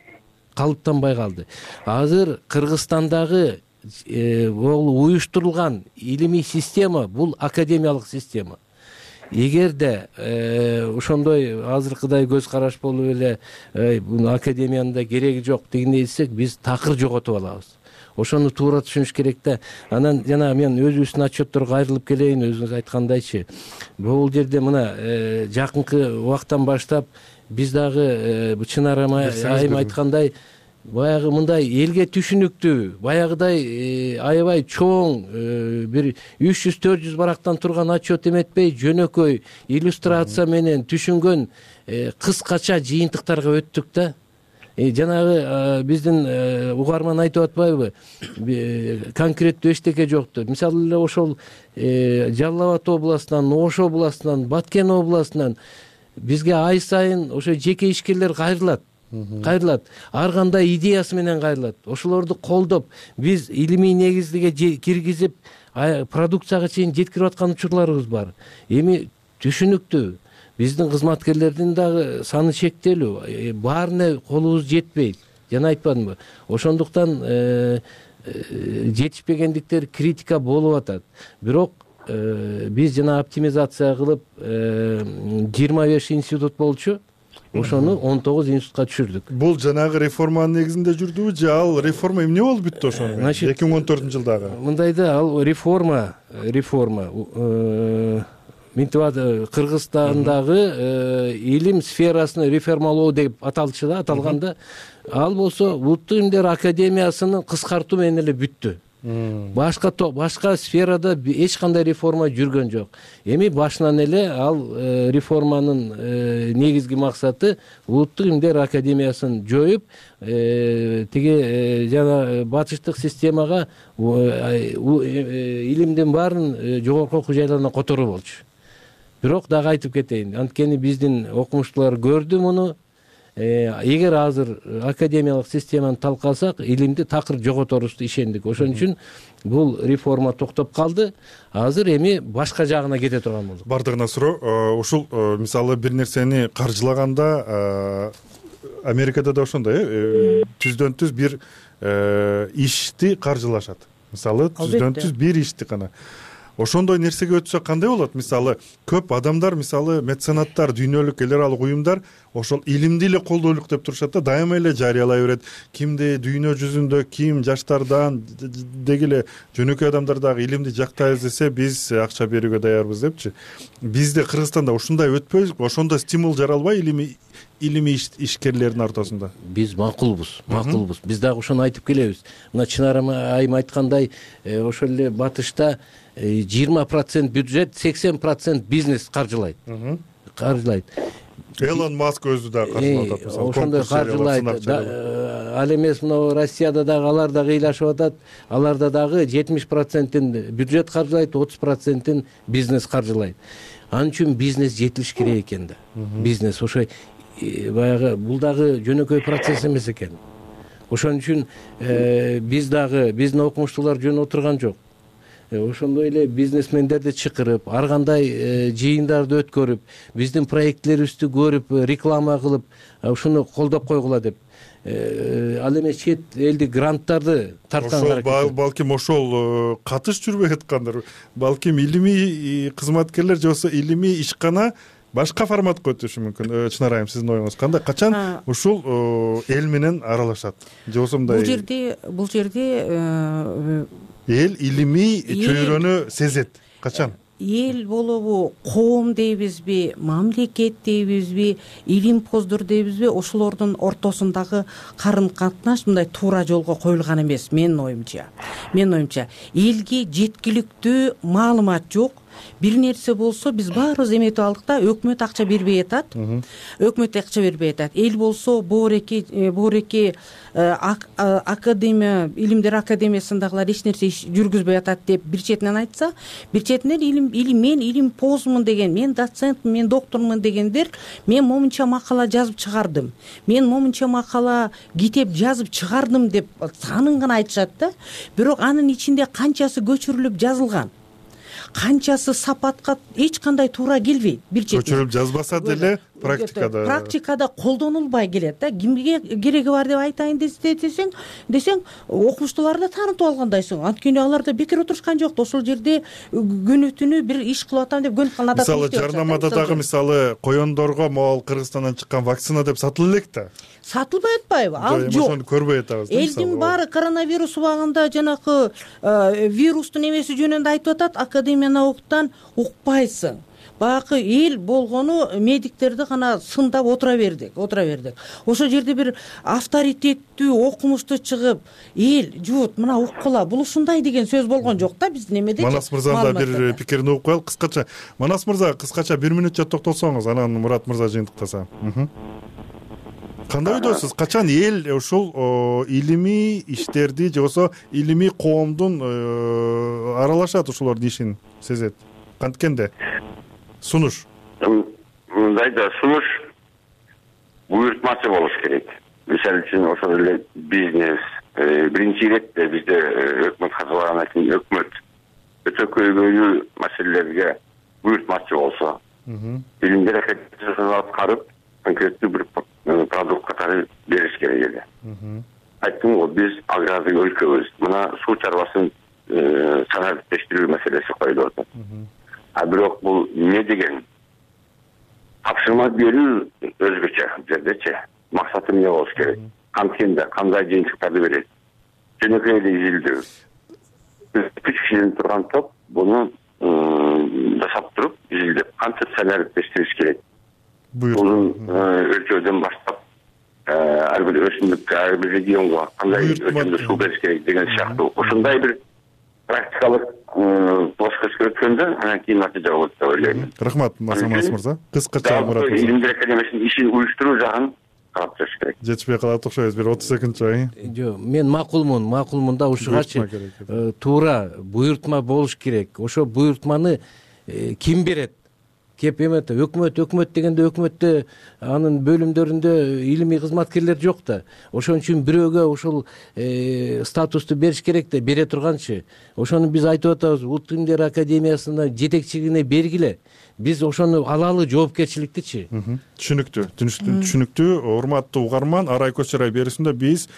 Азыр Кыргызстандагы уюштурулган илимий система бул академиялык система. Эгерде ошондой азыркыдай көз караш болуп эле академиянын да кереги жок дегендей десек, биз такыр жоготуп алабыз. Ошону туура түшүнүш керек да. Анан жана мен өзүбүздүн отчетторго айрылып келейин, өзүңүз айткандайчы. Бул жерде мына жакынкы убактан баштап биз дагы Чынар айым айткандай, баягы мындай элге түшүнүктүү, баягыдай аябай чоң бир 300-400 барактан турган отчет эметпей, жөнөкөй иллюстрация менен түшүнгөн кыскача жыйынтыктарга өттүк да. жанагы биздин угарман айтып атпайбы, конкреттүү эчтеке жок деп. Мисалы эле ошол Жалал Абад областынан, Ош областынан, Баткен областынан бизге ай сайын ошо жеке ишкерлер кайрылат. Ар кандай идеясы менен кайрылат. Ошолорду колдоп, биз илимий негизге киргизип, продукцияга чейин жеткирип аткан учурларыбыз бар. Эми түшүнүктүү, биздин кызматкерлердин дагы саны чектелүү, баарына колубуз жетпейт. Жана айтпадымбы? Ошондуктан жетишпегендиктер критика болуп атат. Бирок биз жана оптимизация кылып 25 институт болчу. Ошону 19 институтка түшүрдүк. Бул жанагы реформанын негизинде жүрдүбү же ал реформа эмне болуп бүттү ошону? 2014-жылдагы. Мындай да, ал реформа мынтип Кыргызстандагы илим сферасын реформалоо деп аталчу да, аталганда. Ал болсо Улуттук илимдер академиясынын кыскартуу менен эле бүттү. Башка сферада эч кандай реформа жүргөн жок. Эми башынан эле ал реформанын негизги максаты Улуттук илимдер академиясын жоюп, тиги жана батыштык системага илимдин баарын жогорку окуу жайларына которуу болчу. Бирок дагы айтып кетейин, анткени биздин окумуштуулар көрдү муну. Эгер азыр академиялык системаны талкасак, илимди такыр жоготорубузду ишендик. Ошон үчүн бул реформа токтоп калды. Азыр эми башка жагына кете турган болдук. Бардыгына суроо, ушул мисалы бир нерсени каржылаганда Америкада да ошондой, түздөн түз бир ишти каржылашат. Мисалы түздөн түз бир ишти гана. Ошондой нерсеге өтсө кандай болот? Мисалы көп адамдар, мисалы меценаттар, дүйнөлүк эл аралык уюмдар ошол илимди эле колдойлук деп турушат да, дайыма эле жарыялай берет. Кимди дүйнө жүзүндө ким жаштардан деги эле жөнөкөй адамдар дагы илимди жактайбыз десе, биз акча берүүгө даярбыз депчи. Бизде Кыргызстанда ушундай өтпөйбүзбү? Ошондо стимул жаралбай илимий ишкерлердин ортосунда? Биз макулбуз. Биз дагы ошону айтып келебиз. Мына Чынар айым айткандай, ошол эле батышта 20% бюджет, 80% бизнес каржылайт. Элон Маск өзү да каржылап атат. Ошондой каржылайт. Ал эмес, мына Россияда дагы алар да кыйлашып атат. Аларда дагы 70%-ин бюджет каржылайт, 30%-ин бизнес каржылайт. Ал үчүн бизнес жетилиш керек экен да. Бизнес ошо баягы бул дагы жөнөкөй процесс эмес экен. Ошон үчүн биз дагы, биздин окумуштуулар жөн отурган жок. Ошондой эле бизнесмендерди чакырып, ар кандай жыйындарды өткөрүп, биздин проектлерибизди көрүп, реклама кылып, ушуну колдоп койгула деп. Ал эми чет элдик гранттарды тарткан. Балким ошол катыш жүрбөй аткандыр. Балким илимий кызматкерлер же болбосо илимий ишкана башка форматка өтүшү мүмкүн. Чынар айым, сиздин оюңуз кандай? Качан ушул эл менен аралашат? Же болбосо мындай бул жерде эл илимий чөйрөнү сезет. Качан? Эл болобу, коом дейбизби, мамлекет дейбизби, илимпоздор дейбизби, ошолордун ортосундагы карым катнаш мындай туура жолго коюлган эмес, менин оюмча. Элге жеткиликтүү маалымат жок. Бир нерсе болсо биз баарыбыз эметип алдык да, өкмөт акча бербей атат. Эл болсо боореки академия, илимдер академиясындагылар эч нерсе жүргүзбөй атат деп бир четинен айтса, бир четинен мен илимпоздмун деген, мен доцентмун, мен доктормун дегендер, мен момунча макала жазып чыгардым, мен момунча макала китеп жазып чыгардым деп санын гана айтышат да. Бирок анын ичинде канчасы көчүрүлүп жазылган, канчасы сапатка эч кандай туура келбейт. Бир четинен көчүрүп жазбаса деле практикада колдонулбай келет да. Кимге кереги бар деп айтайын десең, окумуштууларды таанытып алгандайсың. Анткени алар да бекер отурушкан жок. Ошол жерде күнү түнү бир иш кылып атам деп көнүп калган. Мисалы жарнамада дагы мисалы коёндорго могул Кыргызстандан чыккан вакцина деп сатылып элек да. Сатылбай атпайбы? Ал жок. Ошону көрбөй атабыз. Элдин баары коронавирус убагында жанакы вирустун эмеси жөнүндө айтып атат, академия науктан укпайсың. Баягы эл болгону медиктерди гана сындап отура бердик. Ошол жерде бир авторитеттүү окумуштуу чыгып, эл жуут мына уккула, бул ушундай деген сөз болгон жок да биздин эмеде. Манас мырзанын да бир пикирин угуп коелук кыскача. Манас мырза, кыскача 1 мүнөтчө токтолсоңуз, анан Мурат мырза жыйынтыктаса. кандай ойдосуз, качан эл ушул илимий иштерди же болбосо илимий коомдун аралашат ушулордун ишин сезет? Канткенде сунуш мындай да сунуш буйртмачы болуш керек. Мисалы үчүн ошол эле бизнес биринчи иретте бизде өкмөт катылагандан кийин өкмөт өтө көйгөйлүү маселелерге буйртмачы болсо, илимдер академиясын аткарып конкреттүү бир продукт катары бериш керек эле. Айттым го, биз агрардык өлкөбүз. Мына суу чарбасын санариптештирүү маселеси коюлуп атат. А бирок бул эмне деген тапшырма берүү өзгөчө жердечи. Максаты эмне болуш керек? Канткенде кандай жыйынтыктарды берет? Жөнөкөй эле изилдөө. 3 кишиден турган топ буну жасап туруп, изилдеп, кантип санариптештириш керек? Бул өлкөдөн баштап ар бир өсүмдүккө, ар бир регионго кандай өлчөмдө суу бериш керек деген сыяктуу ушундай бир практикалык плоскость өткөндө анан кийин натыйжа болот деп ойлойм. Рахмат, Масамас мырза. Кыскача Мурат мырза. Илимдер академиясынын ишин уюштуруу жагын карап жүрүш керек. Жетишпей калат окшойбуз. Бир 30 секундча. Жок, мен макулмун да ушугачы туура буйртма болуш керек. Ошо буйртманы ким берет? Кеп эмети өкмөт дегенде өкмөттө анын бөлүмдөрүндө илимий кызматкерлер жок да. Ошон үчүн бирөөгө ушул статусту бериш керек да, бере турганчы. Ошону биз айтып атабыз, Улуттук илимдер академиясына жетекчилигине бергиле. Биз ошону алалы жоопкерчиликтичи. Түшүнүктүү. Урматтуу угарман, Арай Көчөрай берүүсүндө биз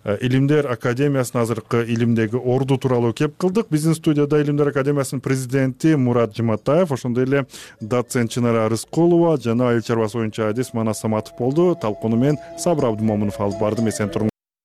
Илимдер академиясынын азыркы илимдеги орду тууралуу кеп кылдык. Биздин студияда Илимдер академиясынын президенти Мурат Жуматаев, ошондой эле доцент Чынара Рыскулова жана айыл чарбасы боюнча адис Манас Саматов болду. Талкууну мен Сабыр Абдымомунов алып бардым. Эсен туруңуздар.